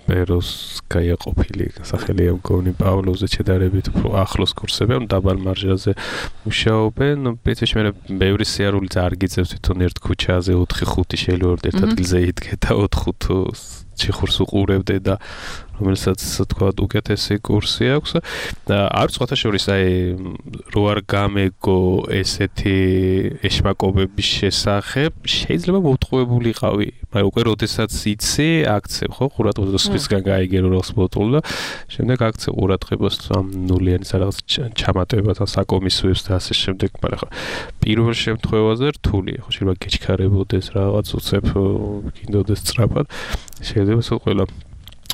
პეროსკაია ყოფილი სახელია მგონი პავლოზე შედარებით უფრო ახლოს კურსები, ანუ დაბალ მარჟაზე მუშაობენ. პრინციპში მე ბევრი სიარულიც არ გიწევს თვითონ ერთ ქუჩაზე ოთხი ხუთი შეიძლება ერთ ადგილზე იდგე და ოთხ ჯიხურს უყურებდე და რომელსაც თქვა უკეთესი კურსი აქვს. არ სხვათა შორის აი რო არ გამეგო ესეთი ეშმაკობების შესახებ შეიძლება მოვტყუებულიყავი, მაგრამ უკვე როდესაც იცი აქცევ ხო ყურადღებას სხვისგან გაიგერო როს ბოტულ და შემდეგ აქცევ ყურადღებას ამ ნულიანის რაღაც ჩამატებასთან საკომისოებს და ასე შემდეგ, მაგრამ ხო პირველ შემთხვევაზე რთულია, ხო შეიძლება გეჩქარებოდეს რაღაც უცებ გინდოდეს სწრაფად, შეიძლება სულ ყველა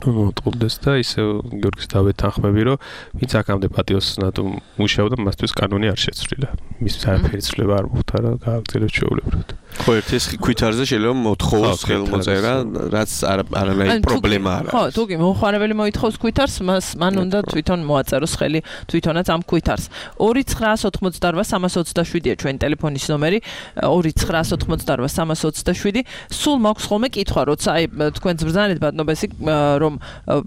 მოტყუდეს და ისე გიორგის დავეთანხმები, რომ ვინც აქამდე პატიოსნად მუშაობდა, მასთვის კანონი არ შეცვლილა. მის არაფერი ცვლილება არ მოხდა რა გააგრძელებს ჩვეულებრივად. ხო, ერთი ხვითარზე შეიძლება მოთხოვოს ხელმოწერა, რაც არანაირი პრობლემა არ არის. ხო, თუკი მომხმარებელი მოითხოვს ქვითარს, მას მან უნდა თვითონ მოაწეროს ხელი თვითონაც ამ ქვითარს. ორი ცხრაას ოთხმოცდაოთხ სამას ოცდაშვიდია ჩვენი ტელეფონის ნომერი, ორი ცხრაას ოთხმოცდაოთხ სამას ოცდაშვიდი. სულ მაქვს ხოლმე კითხვა, როცა აი თქვენ ბრძანეთ ბატონobesi, რომ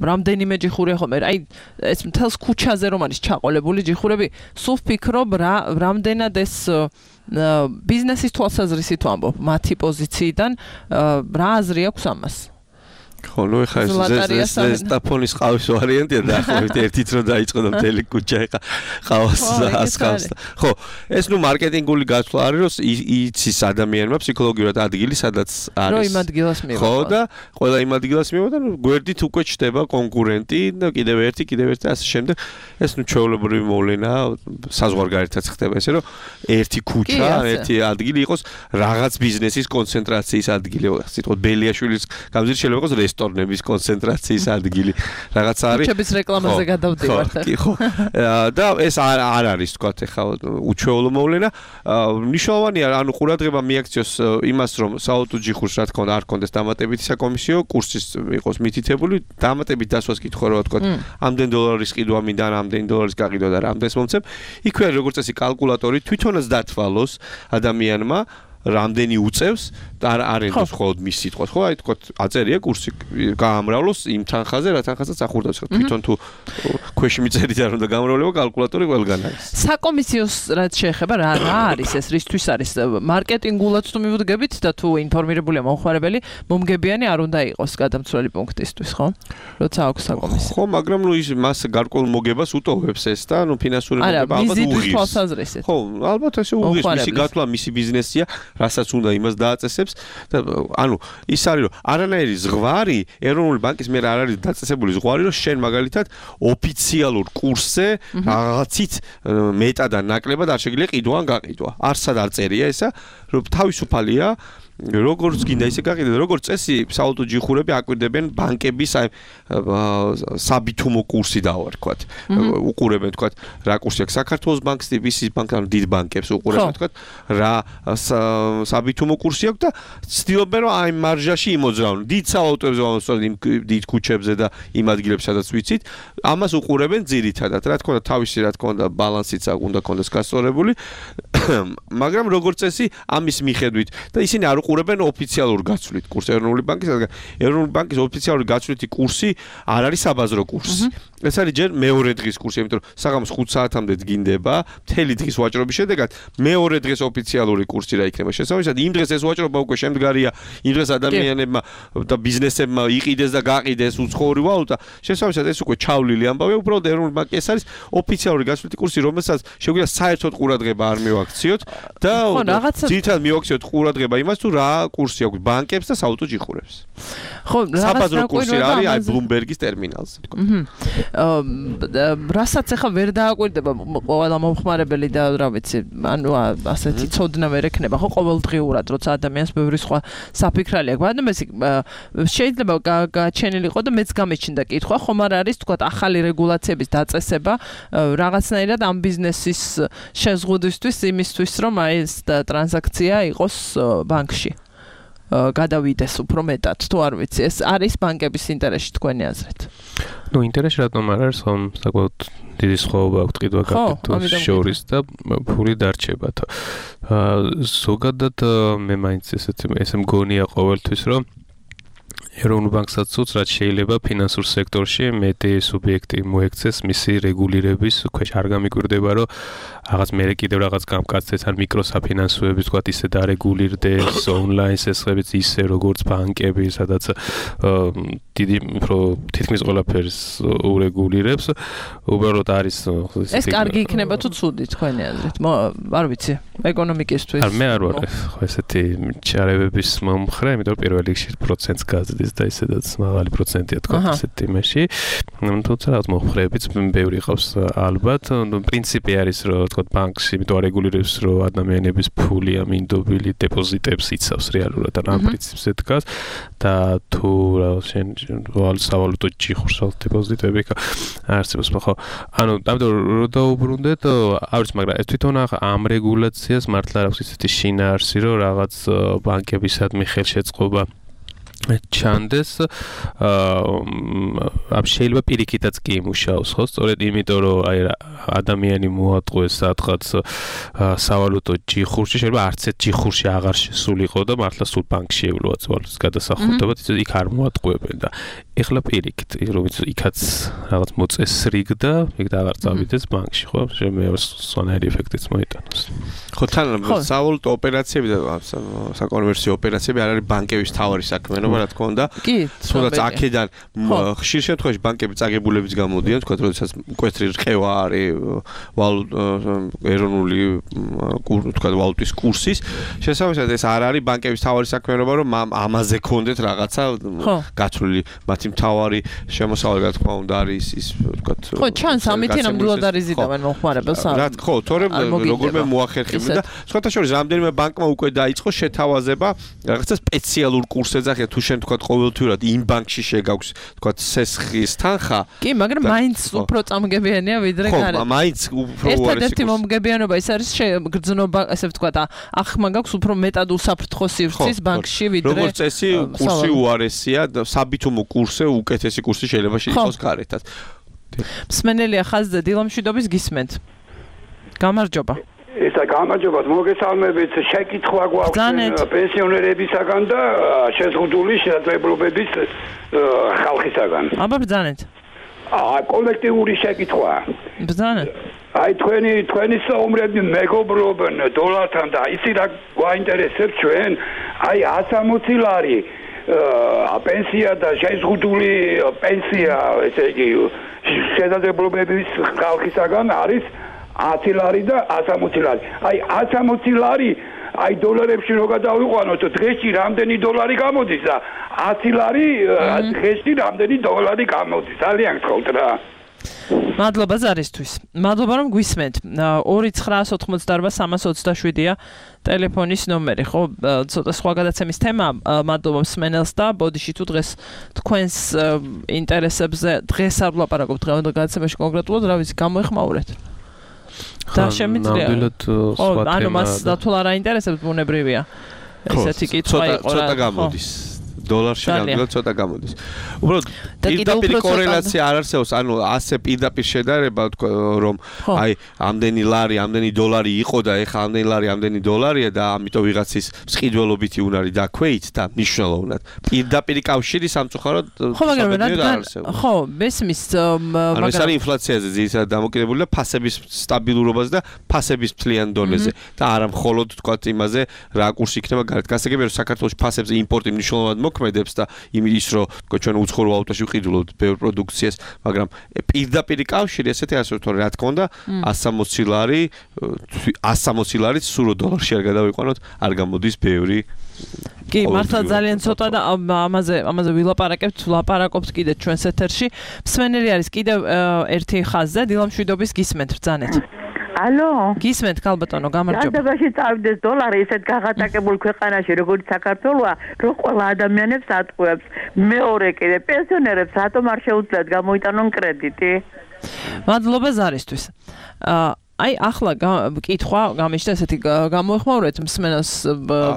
რამდენიმე ჯიხური ხომ, აი ეს მთელს ქუჩაზე რომ არის ჩაყოლებული ჯიხურები, სულ ვფიქრობ რა რამდენად ეს ბიზნესის თვალსაზრისით ვამბობ, მათი პოზიციიდან რა აზრი აქვს ამას? ხო, ნუ ეხა ეს ზესტაფონის ყავის ვარიანტია და ახლა ერთით რომ დაიწყო და მთელი ქუჩა ეხა ყავს ასხავს. ხო, ეს ნუ მარკეტინგული გაცვლა არის, რომ იცის ადამიანმა ფსიქოლოგიურად ადგილი სადაც არის. რომ იმ ადგილას მივა. ხო, და ყველა იმ ადგილას მივა და გვერდით უკვე ჩდება კონკურენტი და კიდევ ერთი, კიდევ ერთი და ასე შემდეგ. ეს ნუ ჩვეულებრივი მოვლენა საზღვარგარეთაც ხდება ესე, რომ ერთი ქუჩა, ერთი ადგილი იყოს რაღაც ბიზნესის კონცენტრაციის ადგილი. სიტყვით ბელიაშვილის გამზირი შეიძლება იყოს რესტორნების კონცენტრაციის ადგილი რაღაც არის. ქუჩების რეკლამაზე გადავდივართ. კი, ხო. და ეს არ არ არის თქვა ეხლა უჩვეულო მოვლენა. მნიშვნელოვანია, ანუ ყურადღება მიაქციოს იმას, რომ საავტოჯიხურს რა თქმა უნდა არ კონდეს დამატებითი საკომისიო, კურსის იყოს მითითებული, დამატებით დასვას კითხვა რა თქვა, ამდენ დოლარის ყიდვა მინდა, ამდენ დოლარის გაყიდვა და რამდენს მომცემ. იქვე არის როგორც წესი კალკულატორი, თვითონაც დათვალოს ადამიანმა რამდენი უწევს და არ ენდოს მხოლოდ მის სიტყვას, ხო? აი თქო, აწერია კურსი, გაამრავლოს იმ თანხაზე, რა თანხასაც ახურდავს. თვითონ თუ ქვეში მიწერით არ უნდა გამრავლება, კალკულატორი ყველგან არის. საკომისიოს რაც შეეხება, რა რა არის ეს, რისთვის არის? მარკეტინგულად თუ მივდგებით და თუ ინფორმირებულია მომხმარებელი, მომგებიანი არ უნდა იყოს გადამცვლელი პუნქტისთვის, ხო? როცა აქვს საკომისიო. ხო, მაგრამ ნუ ის მას გარკვეულ მოგებას უტოვებს ეს და ნუ ფინანსური მოგება ალბათ უღირს. ხო, ალბათ ესე უღირს, მისი გათვლა, მისი ბიზნესია, რასაც უნდა იმას დააწესებს და ანუ ის არის რომ არანაირი ზღვარი ეროვნული ბანკის მიერ არ არის დაწესებული ზღვარი რომ შენ მაგალითად ოფიციალურ კურსზე რაღაცით მეტად და ნაკლებად არ შეგიძლია ყიდვა ან გაყიდვა. არსად არ წერია ესა, რომ თავისუფალია როგორც გინდა ისე გაყიდე და როგორც წესი საავტოჯიხურები აკვირდებენ ბანკების აი საბითუმო კურსი დავარქვათ. უყურებენ თქვათ რა კურსი აქვს საქართველოს ბანკს, ვისის ბანკს, ანუ დიდ ბანკებს უყურებენ თქვათ რა საბითუმო კურსი აქვს და ცდილობენ რომ აი მარჟაში იმოძრავონ. დიდ საავტოებზე ვამოსვლა იმ დიდ ქუჩებზე და იმ ადგილებში სადაც ვიცით, ამას უყურებენ ძირითადად. რა თქმა უნდა თავისი რა თქმა უნდა ბალანსიც უნდა კონდეს გასწორებული, მაგრამ როგორც წესი ამის მიხედვით და ისინი არ უყურებენ ოფიციალურ გაცვლით კურსს ეროვნული ბანკის, რადგან ეროვნული ბანკის ოფიციალური გაცვლითი კურსი არ არის საბაზრო კურსი. ეს არის ჯერ მეორე დღის კურსი, იმიტომ რომ საღამოს ხუთ საათამდე დგინდება, მთელი დღის ვაჭრობის შედეგად მეორე დღეს ოფიციალური კურსი რა იქნება. შესაბამისად, იმ დღეს ეს ვაჭრობა უკვე შემდგარია, იმ დღეს ადამიანებმა და ბიზნესებმა იყიდეს და გაყიდეს უცხოური ვალუტა. შესაბამისად, ეს უკვე ჩავლილი ამბავია, უბრალოდ ეროვნული ბანკი ეს არის ოფიციალური გასვლითი კურსი, რომელსაც შეგვიძლია საერთოდ ყურადღება არ მივაქციოთ და ძირითადად მივაქციოთ ყურადღება იმას, თუ რა კურსი აქვს ბანკებს და საავტო ჯიხურებს. ხო, საბაზრო კურსი არის აი ბლუმბერგის ტერმინალზე, თქო. რასაც ახლა ვერ დააკვირდება ყველა მომხმარებელი და რა ვიცი, ანუ ასეთი ცოდნა ვერ ექნება, ხო, ყოველდღიურად, როცა ადამიანს ბევრი სხვა საფიქრალი აქვს. მაგრამ ეს შეიძლება გაჩენილი იყო და მეც გამეჩნდა კითხვა, ხომ არ არის, თქვა, ახალი რეგულაციების დაწესება რაღაცნაირად ამ ბიზნესის შეზღუდვისთვის, იმისთვის, რომ აი ეს ტრანზაქცია იყოს ბანკში. გადავიდეს უფრო მეტად, თუ არ ვიცი, ეს არის ბანკების ინტერესში თქვენი აზრით. ნუ ინტერესი რატომ არ არის, ხომ საკმაოდ დიდი სხვაობა აქვს ტყიდვა კაპიტალის შორის და ფული დარჩებათ. ზოგადად მე მაინც ესეთი ესე მგონია ყოველთვის, რომ ეროვნულ ბანკსაც უწ რაც შეიძლება ფინანსურ სექტორში მეტი სუბიექტი მოექცეს მისი რეგულირების ქვეშ. არ გამიკვირდება, რომ რაღაც მე კიდევ რაღაც გამკაცდეს ან მიკროსაფინანსოები თქვა ისე დარეგულირდეს ონლაინ სესხებიც ისე როგორც ბანკები, სადაც დიდი უფრო თითქმის ყველაფერს ურეგულირებს. უბრალოდ არის ეს კარგი იქნება თუ ცუდი თქვენი აზრით? არ ვიცი, ეკონომიკისთვის. არ მე არ ვარ ხო ესეთი ჩარევების მომხრე, იმიტომ რომ პირველ რიგში პროცენტს გაზრდის და ისედაც მაღალი პროცენტია თქვა ესეთ იმაში. თუმცა რაღაც მომხრეებიც ბევრი ყავს ალბათ. პრინციპი არის რომ თქვა ბანკში, იმიტომ რეგულირებს რომ ადამიანების ფული ამინდობილი დეპოზიტებს იცავს რეალურად და ამ პრინციპზე დგას და თუ რაღაც შენ სავალუტო ჯიხურს დეპოზიტები არსებობს, ხო? ანუ ამიტომ რო დაუბრუნდეთ, არის, მაგრამ ეს თვითონ ამ რეგულაციას მართლა აქვს ისეთი შინაარსი, რომ რაღაც ბანკებისადმი ხელშეწყობა ჩანდეს, აა შეიძლება პირიქითაც კი იმუშაოს, ხო? სწორედ იმიტომ, რომ აი ადამიანი მოატყუეს სადღაც სავალუტო ჯიხურში, შეიძლება არც ერთ ჯიხურში აღარ შესულიყო და მართლა სულ ბანკში ევლოა ვალუტის გადასახურდობა, იქ არ მოატყუებენ და ეხლა პირიქით, რომ იქაც რაღაც მოწესრიგდა, იქ და აღარ წავიდეს ბანკში, ხო? შემეორ სვანაირი ეფექტიც მოიტანოს. ხო, თან სავალუტო ოპერაციები და საკონვერსიო ოპერაციები არ არის ბანკების თავარი საქმიანობა, რა თქმა უნდა. თუნდაც აქედან ხშირ შემთხვევაში ბანკები წაგებულებიც გამოდიან, თქვა, როდესაც მკვეთრი რყევა არის ეროვნული თქვა ვალუტის კურსის. შესაბამისად, ეს არ არის ბანკების თავარი საქმიანობა, რომ ამაზე ქონდეთ რაღაცა გათვლილი. მათი მთავარი შემოსავალი, რა თქმა უნდა, არის ის თქვა. ხო, ჩანს ამით ნამდვილად არის ზიდავენ მომხმარებელს. რა თქმა უნდა, თორემ როგორმე მოახერხებდა და სხვათა შორის რამდენიმე ბანკმა უკვე დაიწყო შეთავაზება რაღაცა სპეციალურ კურს ეძახიან, თუ შენ თქვა ყოველთვიურად იმ ბანკში შეგაქვს თქვა სესხის თანხა. კი, მაგრამ მაინც უფრო წამგებიანია ვიდრე გარეთ. ხო, მაინც უფრო უარესი. ერთადერთი მომგებიანობა ის არის გრძნობა, ასე ვთქვა, ახმა გაქვს უფრო მეტად უსაფრთხო სივრცის ბანკში ვიდრე. როგორც წესი, კურსი უარესია და საბითუმო კურსზე უკეთესი კურსი შეიძლება შეიყოს გარეთაც. მსმენელია ხაზზე დილამშვიდობის გისმენთ. გამარჯობა. ისა გამარჯობა, მოგესალმებით. შეკითხვა გვაქვს პენსიონერებისაგან და შეზღუდული შესაძლებლობების ხალხისაგან. აბა ბრძანეთ. აა კოლექტიური შეკითხვა. ბრძანეთ. აი თქვენი თქვენი საომრები მეგობრობენ დოლართან და ისი რა გვაინტერესებს ჩვენ? აი one sixty ლარი აა პენსია და შეზღუდული პენსია, ესე იგი შესაძლებლობების ხალხისაგან არის one ლარი და one sixty ლარი. აი one sixty ლარი აი დოლარებში რო გადავიყვანოთ, დღეში რამდენი დოლარი გამოდის და one ლარი დღეში რამდენი დოლარი გამოდის. ძალიან გთხოვთ რა. მადლობა ზარისთვის. მადლობა რომ გვისმენთ. two nine four eight three two seven-ია ტელეფონის ნომერი, ხო? ცოტა სხვა გადაცემის თემა. მადლობა მსმენელს და ბოდიში თუ დღეს თქვენს ინტერესებზე დღეს არ ვლაპარაკობთ დღევანდელ გადაცემაში კონკრეტულად, რა ვიცი, გამოეხმაურეთ. და შემიძლია. ხო, ანუ მას დათვალა რა ინტერესებს ბუნებრივია. ესეთი კითხვა იყო რა. ცოტა გამოდის. დოლარში ნამდვილად ცოტა გამოდის. უბრალოდ პირდაპირ კორელაცია არ არსებობს, ანუ ასე პირდაპირ შედარება თქვა რომ აი ამდენი ლარი, ამდენი დოლარი იყო და ეხლა ამდენი ლარი, ამდენი დოლარია და ამიტომ ვიღაცის მსყიდველობითი უნარი დაქვეით და მნიშვნელოვნად. პირდაპირ კავშირი სამწუხაროდ ხო, მაგრამ რადგან ხო, მესმის მაგრამ ეს არის ინფლაციაზე ძირითადად დამოკიდებული და ფასების სტაბილურობაზე და ფასების მთლიან დონეზე და არა მხოლოდ თქვა იმაზე რა კურსი იქნება გარეთ. გასაგებია რომ საქართველოს ფასებზე იმპორტი მნიშვნელოვნად მოქმედებს და იმის რომ თქვა ჩვენ უცხოურ ვალუტაში ვყიდულობთ ბევრ პროდუქციას, მაგრამ პირდაპირ კავშირი ესეთი ასე თორე რა თქმა უნდა one sixty ლარი one sixty ლარით სულ დოლარში არ გადავიყვანოთ, არ გამოდის ბევრი. კი, მართლა ძალიან ცოტა და ამაზე ამაზე ვილაპარაკებთ, ვლაპარაკობთ კიდე ჩვენს ეთერში. მსმენელი არის კიდევ ერთი ხაზზე, დილამშვიდობის გისმენთ ბრძანეთ. ალო, გისმენთ ქალბატონო, გამარჯობა. განდებაში წავიდეს დოლარი ისეთ გაღატაკებულ ქვეყანაში, როგორც საქართველოა, რომ ყველა ადამიანებს ატყუებს. მეორე კიდე პენსიონერებს რატომ არ შეუძლიათ გამოიტანონ კრედიტი? მადლობა ზარისთვის. აა აი ახლა კითხვა გამიშთა ესეთი გამოეხმაურეთ მსმენელს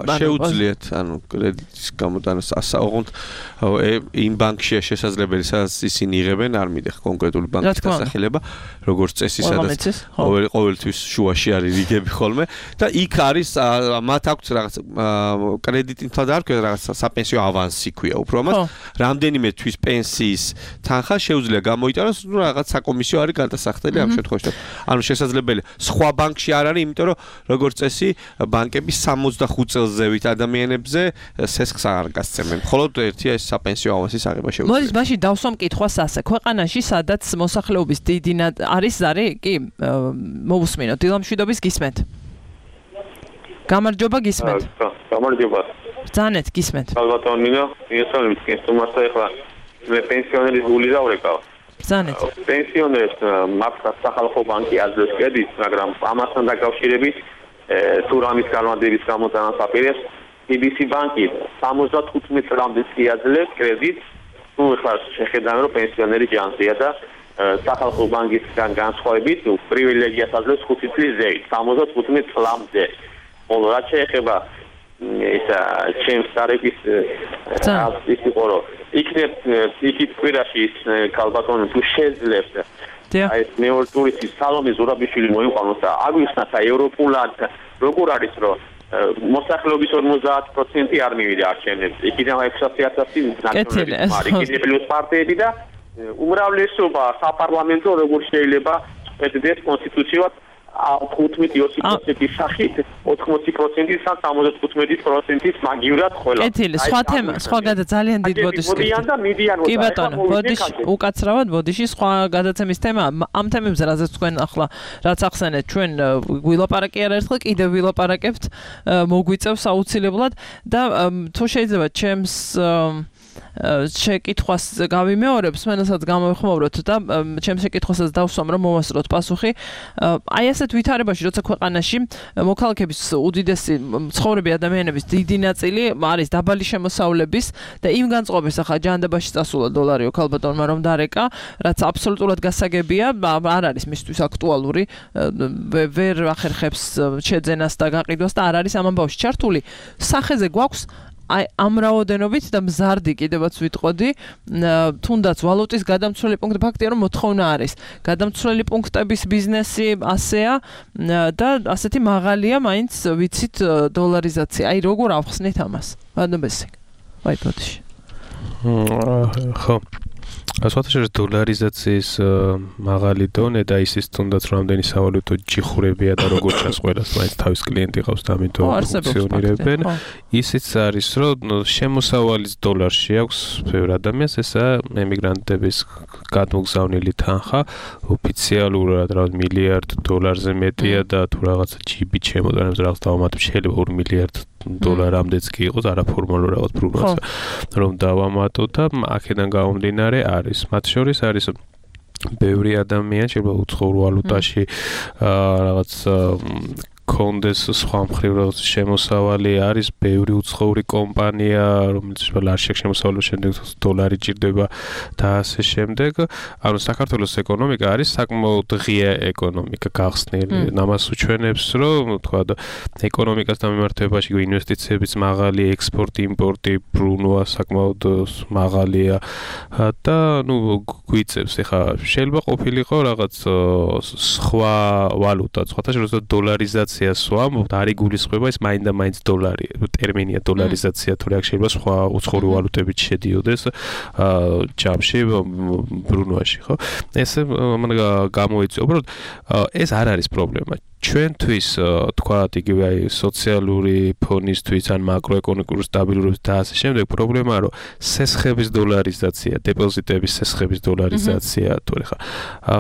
შეუძლიათ ანუ კრედიტის გამოტანას ასაუბროთ იმ ბანკშია შესაძლებელი სადაც ისინი იღებენ არ მიდიხ კონკრეტული ბანკის დასახელება როგორც წესი სადაც ყოველთვის შუაში არის რიგები ხოლმე და იქ არის მათ აქვს რაღაც კრედიტი თვალ არ ქვია რაღაც საპენსიო ავანსი ქვია უფრო ამას რამდენიმე თვის პენსიის თანხა შეუძლია გამოიტანოს რაღაც საკომისიო არის გადასახდელი ამ შემთხვევაში ანუ შესაძლებელი სხვა ბანკში არ არის, იმიტომ რომ როგორც წესი ბანკები sixty-five წელს ზევით ადამიანებზე სესხს არ გასცემენ. მხოლოდ ერთია ეს საპენსიო ავანსის აღება შეუძლია. მოდი მაშინ დავსვამ კითხვას ასე. ქვეყანაში სადაც მოსახლეობის დიდი არის ზარი, კი, მოვუსმინოთ. დილამშვიდობის გისმენთ. გამარჯობა გისმენთ. გამარჯობა. ბრძანეთ გისმენთ. ალბათონინო, იესალმით კენსტუმარსა ეხლა მე პენსიონერის გული დავრეკავ. ბრძანეთ. პენსიონერებს მაქვს სახალხო ბანკი აძლევს კრედიტს, მაგრამ ამასთან დაკავშირებით თუ რამის განმარტების გამოტანას აპირებს, ი ბი სი ბანკი seventy-five წლამდე შეაძლევს კრედიტს, თუ ეხლა შეხედავენ რომ პენსიონერი ჯანსია და სახალხო ბანკისგან განსხვავებით პრივილეგიას აძლევს five წლის ზევით, seventy-five წლამდე. ხოლო რაც შეეხება ისა ჩემს ტარიფის ის იყო რომ იქნებ იქით კვირაში ის ქალბატონი თუ შეძლებს აი მეორე ტურისტის სალომე ზურაბიშვილი მოიყვანოს და აგვიხსნათ აი ევროპულად როგორ არის რომ მოსახლეობის forty percent არ მივიდა არჩევნებს იქიდან six hundred thousand ნაციონალისტი მარი კიდე პლუს პარტიები და უმრავლესობა საპარლამენტო როგორ შეიძლება ეთდეს კონსტიტუციად fifty-two percent-ის სახით eighty percent-ის ან seventy-five percent-ის მაგივრად ყველა. კეთილი, სხვა თემა, სხვა გადა ძალიან დიდ ბოდიშს. კი ბატონო, ბოდიში უკაცრავად ბოდიში სხვა გადაცემის თემა ამ თემებზე რაზეც თქვენ ახლა რაც ახსენეთ ჩვენ ვილაპარაკი არაერთხელ კიდევ ვილაპარაკებთ მოგვიწევს აუცილებლად და თუ შეიძლება ჩემს შეკითხვას გავიმეორებ, სმენელსაც გამოვიხმაუროთ და ჩემს შეკითხვასაც დავსვამ რომ მოვასწროთ პასუხი. აი ასეთ ვითარებაში, როცა ქვეყანაში მოქალაქეების უდიდესი მცხოვრები ადამიანების დიდი ნაწილი არის დაბალი შემოსავლების და იმ განწყობის ახლა ჯანდაბაში წასულა დოლარიო ქალბატონმა რომ დარეკა, რაც აბსოლუტურად გასაგებია, არ არის მისთვის აქტუალური, ვერ ახერხებს შეძენას და გაყიდვას და არ არის ამ ამბავში ჩართული. სახეზე გვაქვს აი ამ რაოდენობით და მზარდი კიდევაც ვიტყოდი, თუნდაც ვალუტის გადამცვლელი პუნქტი ფაქტია რომ მოთხოვნა არის. გადამცვლელი პუნქტების ბიზნესი ასეა და ასეთი მაღალია მაინც ვიცით დოლარიზაცია. აი როგორ ავხსნით ამას? ბანობესი. აი ბოდიში. ხო. ასვათაშორის დოლარიზაციის მაღალი დონე და ისიც თუნდაც რამდენი სავალუტო ჯიხურებია და როგორ ჩასყოლას მაინც თავის კლიენტი ყავს და ამიტომ ფუნქციონირებენ. ისიც არის რომ შემოსავალის დოლარში აქვს ბევრ ადამიანს, ესა ემიგრანტების გადმოგზავნილი თანხა ოფიციალურად რაღაც მილიარდ დოლარზე მეტია და თუ რაღაცა ჯიბით შემოდანებს რაღაც დავამატებ შეიძლება two მილიარდ დოლარამდეც კი იყოს არაფორმალურ რაღაც პროგნოზა რომ დავამატოთ და აქედან გამომდინარე არის მათ შორის არის ბევრი ადამიანი შეიძლება უცხოურ ვალუტაში რაღაც კონდეს სხვა მხრივ რაღაც შემოსავალი არის ბევრი უცხოური კომპანია რომელიც ლარშაკ შემოსავალის შემდეგ დოლარი ჭირდება და ასე შემდეგ ანუ საქართველოს ეკონომიკა არის საკმაოდ ღია ეკონომიკა გახსნილი ამას უჩვენებს რომ თქვა ეკონომიკას დამემართებაში ინვესტიციებიც მაღალი ექსპორტი იმპორტი ბრუნვა საკმაოდ მაღალია და ნუ გვიწევს ეხა შეიძლება ყოფილიყო რაღაც სხვა ვალუტა სხვათა შორის დოლარიზაცია სვამობთ არ იგულისხმება ეს მაინც და მაინც დოლარი ტერმინია დოლარიზაცია თუ რა შეიძლება სხვა უცხოური ვალუტებით შედიოდეს ჯამში ბრუნვაში ხო ეს მან გამოიწვია უბრალოდ ეს არ არის პრობლემა ჩვენთვის თქვათ იგივე აი სოციალური ფონისთვის ან მაკროეკონომიკური სტაბილურობის და ასე შემდეგ პრობლემაა რომ სესხების დოლარიზაცია, დეპოზიტების სესხების დოლარიზაცია თუ ხა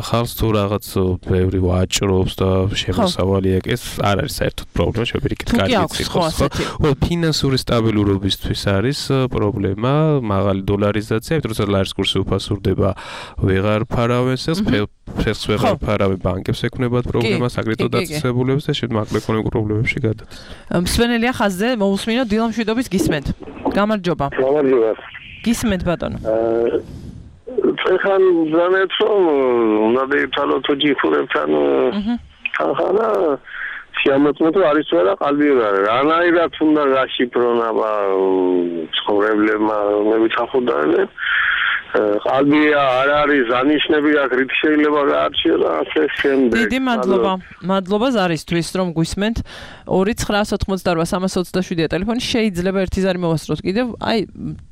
ხალხს თუ რაღაც ბევრი ვაჭრობს და შემოსავალი ეს არ არის საერთოდ პრობლემა შეგვიძლია კარგი იყოს ხო ფინანსური სტაბილურობისთვის არის პრობლემა მაღალი დოლარიზაცია იმიტომ რომ ლარის კურსი უფასურდება ვეღარ ფარავენ სესხს ფეხს ვეღარ ფარავენ ბანკებს ექნებათ პრობლემას აგრეთვე დაწესებულებს და შედ მაკროეკონომიკურ პრობლემებში გადადის. მსვენელია ხაზზე მოусმინო დილამ შვიდობის გისმენთ. გამარჯობა. გამარჯობა. გისმენთ ბატონო. ეხან ზანეთ რომ უნდა დაითვალოთ ჯიხურებთან ხახანა შემოწმეთო არის ვერა qalbi რანაირად უნდა გაშიფრონ აბა ცხოვრებლებმა მევითხახუდანე qalbi არ არის ანიშნები აქ რით შეიძლება გაარჩიო და ასე შემდეგ. დიდი მადლობა. მადლობა ზარისთვის რომ გვისმენთ. ორი ცხრა ოთხმოცდაოთხ სამას ოცდაშვიდია ტელეფონი შეიძლება ერთი ზარი მოვასწროთ კიდევ აი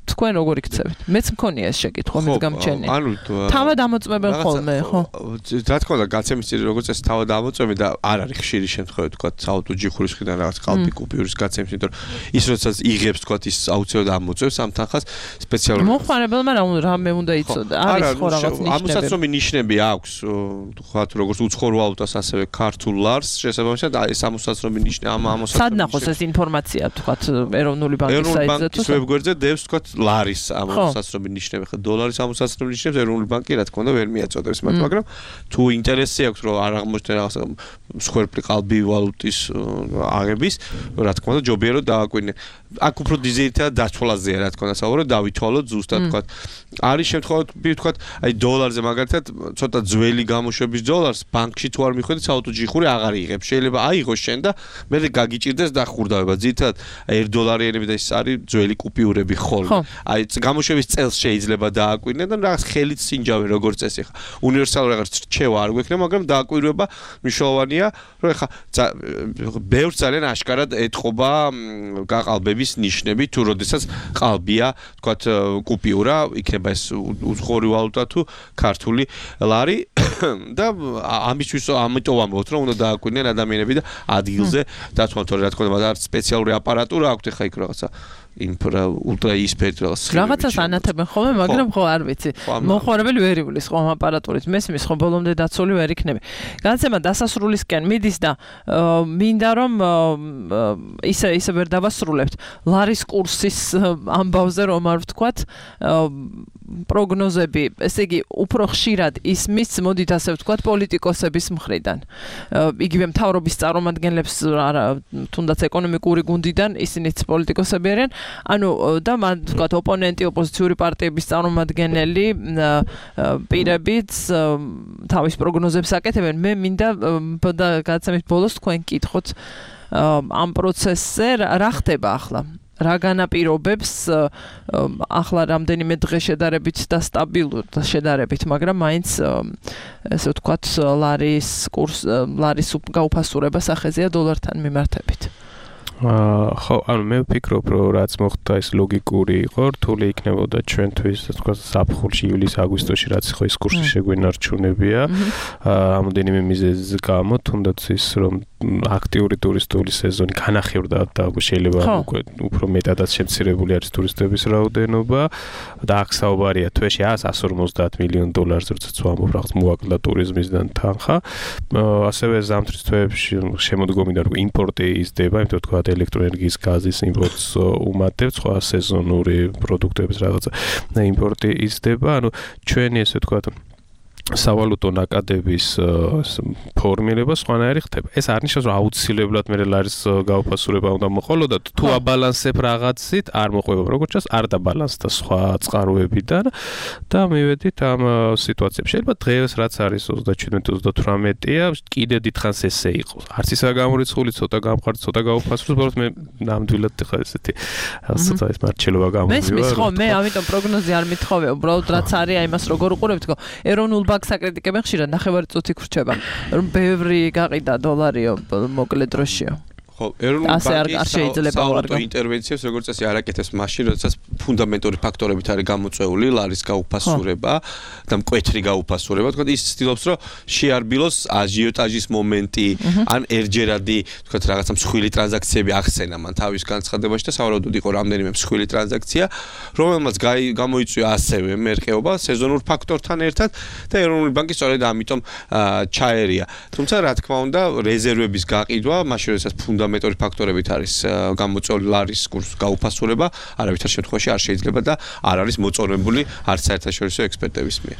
თქვენ როგორ იქცევით? მეც მქონია ეს შეკითხვა მეც გამჩენია. ანუ თავად ამოწმებენ ხოლმე ხო? რა თქმა უნდა გაცემის წილი როგორც ეს თავად ამოწმები და არ არის ხშირი შემთხვევა თქვა საავტო ჯიხურის ხიდან რაღაც qalbi კუპიურის გაცემის იმიტომ რომ ის როდესაც იღებს თქვა ის აუცილებლად ამოწმებს ამ თანხას სპეციალურად მოხმარებელმა რა მე უნდა იცოდა არის ხო რაღაც ნიშნები ამოსაცნობი ნიშნები აქვს თქვა როგორც უცხოურ ვალუტას ასევე ქართულ ლარს შესაბამისად ეს ამოსაცნობი ნიშნები ამ ამოსაცნობი სად ნახოს ეს ინფორმაცია თქვა ეროვნული ბანკის საიტზე თუ ვებგვერდზე დევს თქვა ლარის ამოსაცნობი ნიშნები ხო დოლარის ამოსაცნობი ნიშნებს ეროვნული ბანკი რა თქმა უნდა ვერ მიაწოდებს მათ მაგრამ თუ ინტერესი აქვს რომ არ აღმოჩნდა რაღაც მსხვერპლი qalbi ვალუტის აღების რა თქმა უნდა ჯობია რომ დააკვირდე აქ უფრო დიზაინერთა დაცვალაზეა რა თქმა უნდა საუბარი დავითვალოთ ზუსტად თქვა არის შემთხვევები თქვა აი დოლარზე მაგალითად ცოტა ძველი გამოშვების დოლარს ბანკში თუ არ მიხვედი საავტო ჯიხური აღარ იღებს შეიძლება აიღოს შენ და მე გაგიჭირდეს დახურდავება ძირითადად ერთ დოლარიანები და ის არის ძველი კუპიურები ხოლმე აი გამოშვების წელს შეიძლება დააკვირდე და რაღაც ხელით სინჯავე როგორც წესი ხა უნივერსალური რაღაც რჩევა არ გვექნება მაგრამ დააკვირვება მნიშვნელოვანია რომ ხა ბევრ ძალიან აშკარად ეთყობა გაყალბების ნიშნები თუ როდესაც ყალბია თქვა კუპიურა იქნება ეს უცხოური ვალუტა თუ ქართული ლარი და ამისთვის ამიტომ ამბობთ რომ უნდა დააკვირდნენ ადამიანები და ადგილზე დათვალოთ რა თქმა უნდა მაგრამ სპეციალური აპარატურა აქვთ ხა იქ რაღაცა ინფრა ულტრა ისფერტ რაღაც რაღაცას ანათებენ ხოლმე მაგრამ ხო არ ვიცი მოხმარებელი ვერ ივლის ხო ამ აპარატურით მესმის ხო ბოლომდე დაცული ვერ იქნები განცემა დასასრულისკენ მიდის და მინდა რომ ისე ისე ვერ დავასრულებთ ლარის კურსის ამბავზე რომ არ ვთქვათ პროგნოზები ესე იგი უფრო ხშირად ისმის მოდით ასე ვთქვათ პოლიტიკოსების მხრიდან იგივე მთავრობის წარმომადგენლებს თუნდაც ეკონომიკური გუნდიდან ისინიც პოლიტიკოსები არიან ანუ და მან ვთქვათ ოპონენტი ოპოზიციური პარტიების წარმომადგენელი პირებიც თავის პროგნოზებს აკეთებენ მე მინდა და გადაცემის ბოლოს თქვენ კითხოთ ამ პროცესზე რა ხდება ახლა რა განაპირობებს ახლა რამდენიმე დღე შედარებით და სტაბილურ და შედარებით მაგრამ მაინც ესე ვთქვათ ლარის კურს ლარის გაუფასურება სახეზეა დოლართან მიმართებით ხო, ანუ მე ვფიქრობ, რომ რაც მოხდა ეს ლოგიკური იყო, რთული იქნებოდა ჩვენთვის, ასე ვთქვათ, საფხულში, ივლის-აგვისტოში, რაც ხო ის კურსი შეგვენარჩუნებია. რამოდენიმე მიზეზის გამო, თუნდაც ის რომ აქტიური ტურისტული სეზონი განახევრდა და შეიძლება უკვე უფრო მეტადაც შემცირებული არის ტურისტების რაოდენობა და აქ საუბარია თვეში εκατს ორმოცდაათ მილიონ დოლარზე, როდესაც ვამბობ რაღაც მოაკლდა ტურიზმისგან თანხა. ასევე ზამთრის თვეებში შემოდგომიდან რომ იმპორტი იზრდება, იმიტომ თქვა ელექტროენერგიის გაზის იმპორტს უმატებს, სხვა სეზონური პროდუქტების რაღაცა და იმპორტი იზრდება, ანუ ჩვენი ესე ვთქვათ სავალუტო ნაკადების ფორმირება სხვანაირი ხდება. ეს არ ნიშნავს, რომ აუცილებლად მე ლარის გაუფასურება უნდა მოყოლოდათ. თუ აბალანსებ რაღაცით, არ მოყვება, როგორც ჩანს, არ დაბალანსდა სხვა წყაროებიდან და მივედით ამ სიტუაციებში. შეიძლება დღეს რაც არის ოცდაჩვიდმეტი ოცდათვრამეტია, კიდე დიდხანს ესე იყოს. არც ისაა გამორიცხული, ცოტა გამყარდა, ცოტა გაუფასურდა, უბრალოდ მე ნამდვილად ხა ესეთი ცოტა ეს მარჩელობა გამოვიდა. მესმის ხო, მე ამიტომ პროგნოზი არ მithოვე, უბრალოდ რაც არის აი მას როგორ უყურებთ, თქო, ეროვნულ ბანკს აკრიტიკებენ ხშირად, ნახევარი წუთი გრჩება, რომ ბევრი გაყიდა დოლარიო მოკლე დროშიო. ხო, ეროვნული ბანკის საავტო ინტერვენციებს როგორც წესი არ აკეთებს მაშინ, როდესაც ფუნდამენტური ფაქტორებით არის გამოწვეული ლარის გაუფასურება და მკვეთრი გაუფასურება, თქო, ის ცდილობს, რომ შეარბილოს აჟიოტაჟის მომენტი, ან ერჯერადი, თქო, რაღაცა მსხვილი ტრანზაქციები ახსენა მან თავის განცხადებაში და სავარაუდოდ იყო რამდენიმე მსხვილი ტრანზაქცია, რომელმაც გამოიწვია ასევე მერყეობა სეზონურ ფაქტორთან ერთად და ეროვნული ბანკი სწორედ ამიტომ ჩაერია. თუმცა, რა თქმა უნდა, რეზერვების გაყიდვა, მაშინ როდესაც ფუნდამენტური მეტორი ფაქტორებით არის გამოწვეული ლარის კურსის გაუფასურება, არავითარ შემთხვევაში არ შეიძლება და არ არის მოწონებული არც საერთაშორისო ექსპერტების მიერ.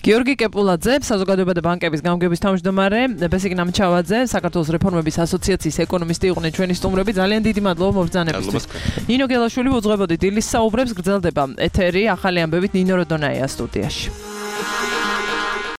გიორგი კეპულაძე, საზოგადოება და ბანკების გამგების თავმჯდომარე, ბესიკ ნამჩავაძე, საქართველოს რეფორმების ასოციაციის ეკონომისტი იყვნენ ჩვენი სტუმრები. ძალიან დიდი მადლობა მობრძანებისთვის. ნინო გელაშვილი უძღვებოდი დილის საუბრებს, გრძელდება ეთერი ახალი ამბებით ნინო როდონაია სტუდიაში.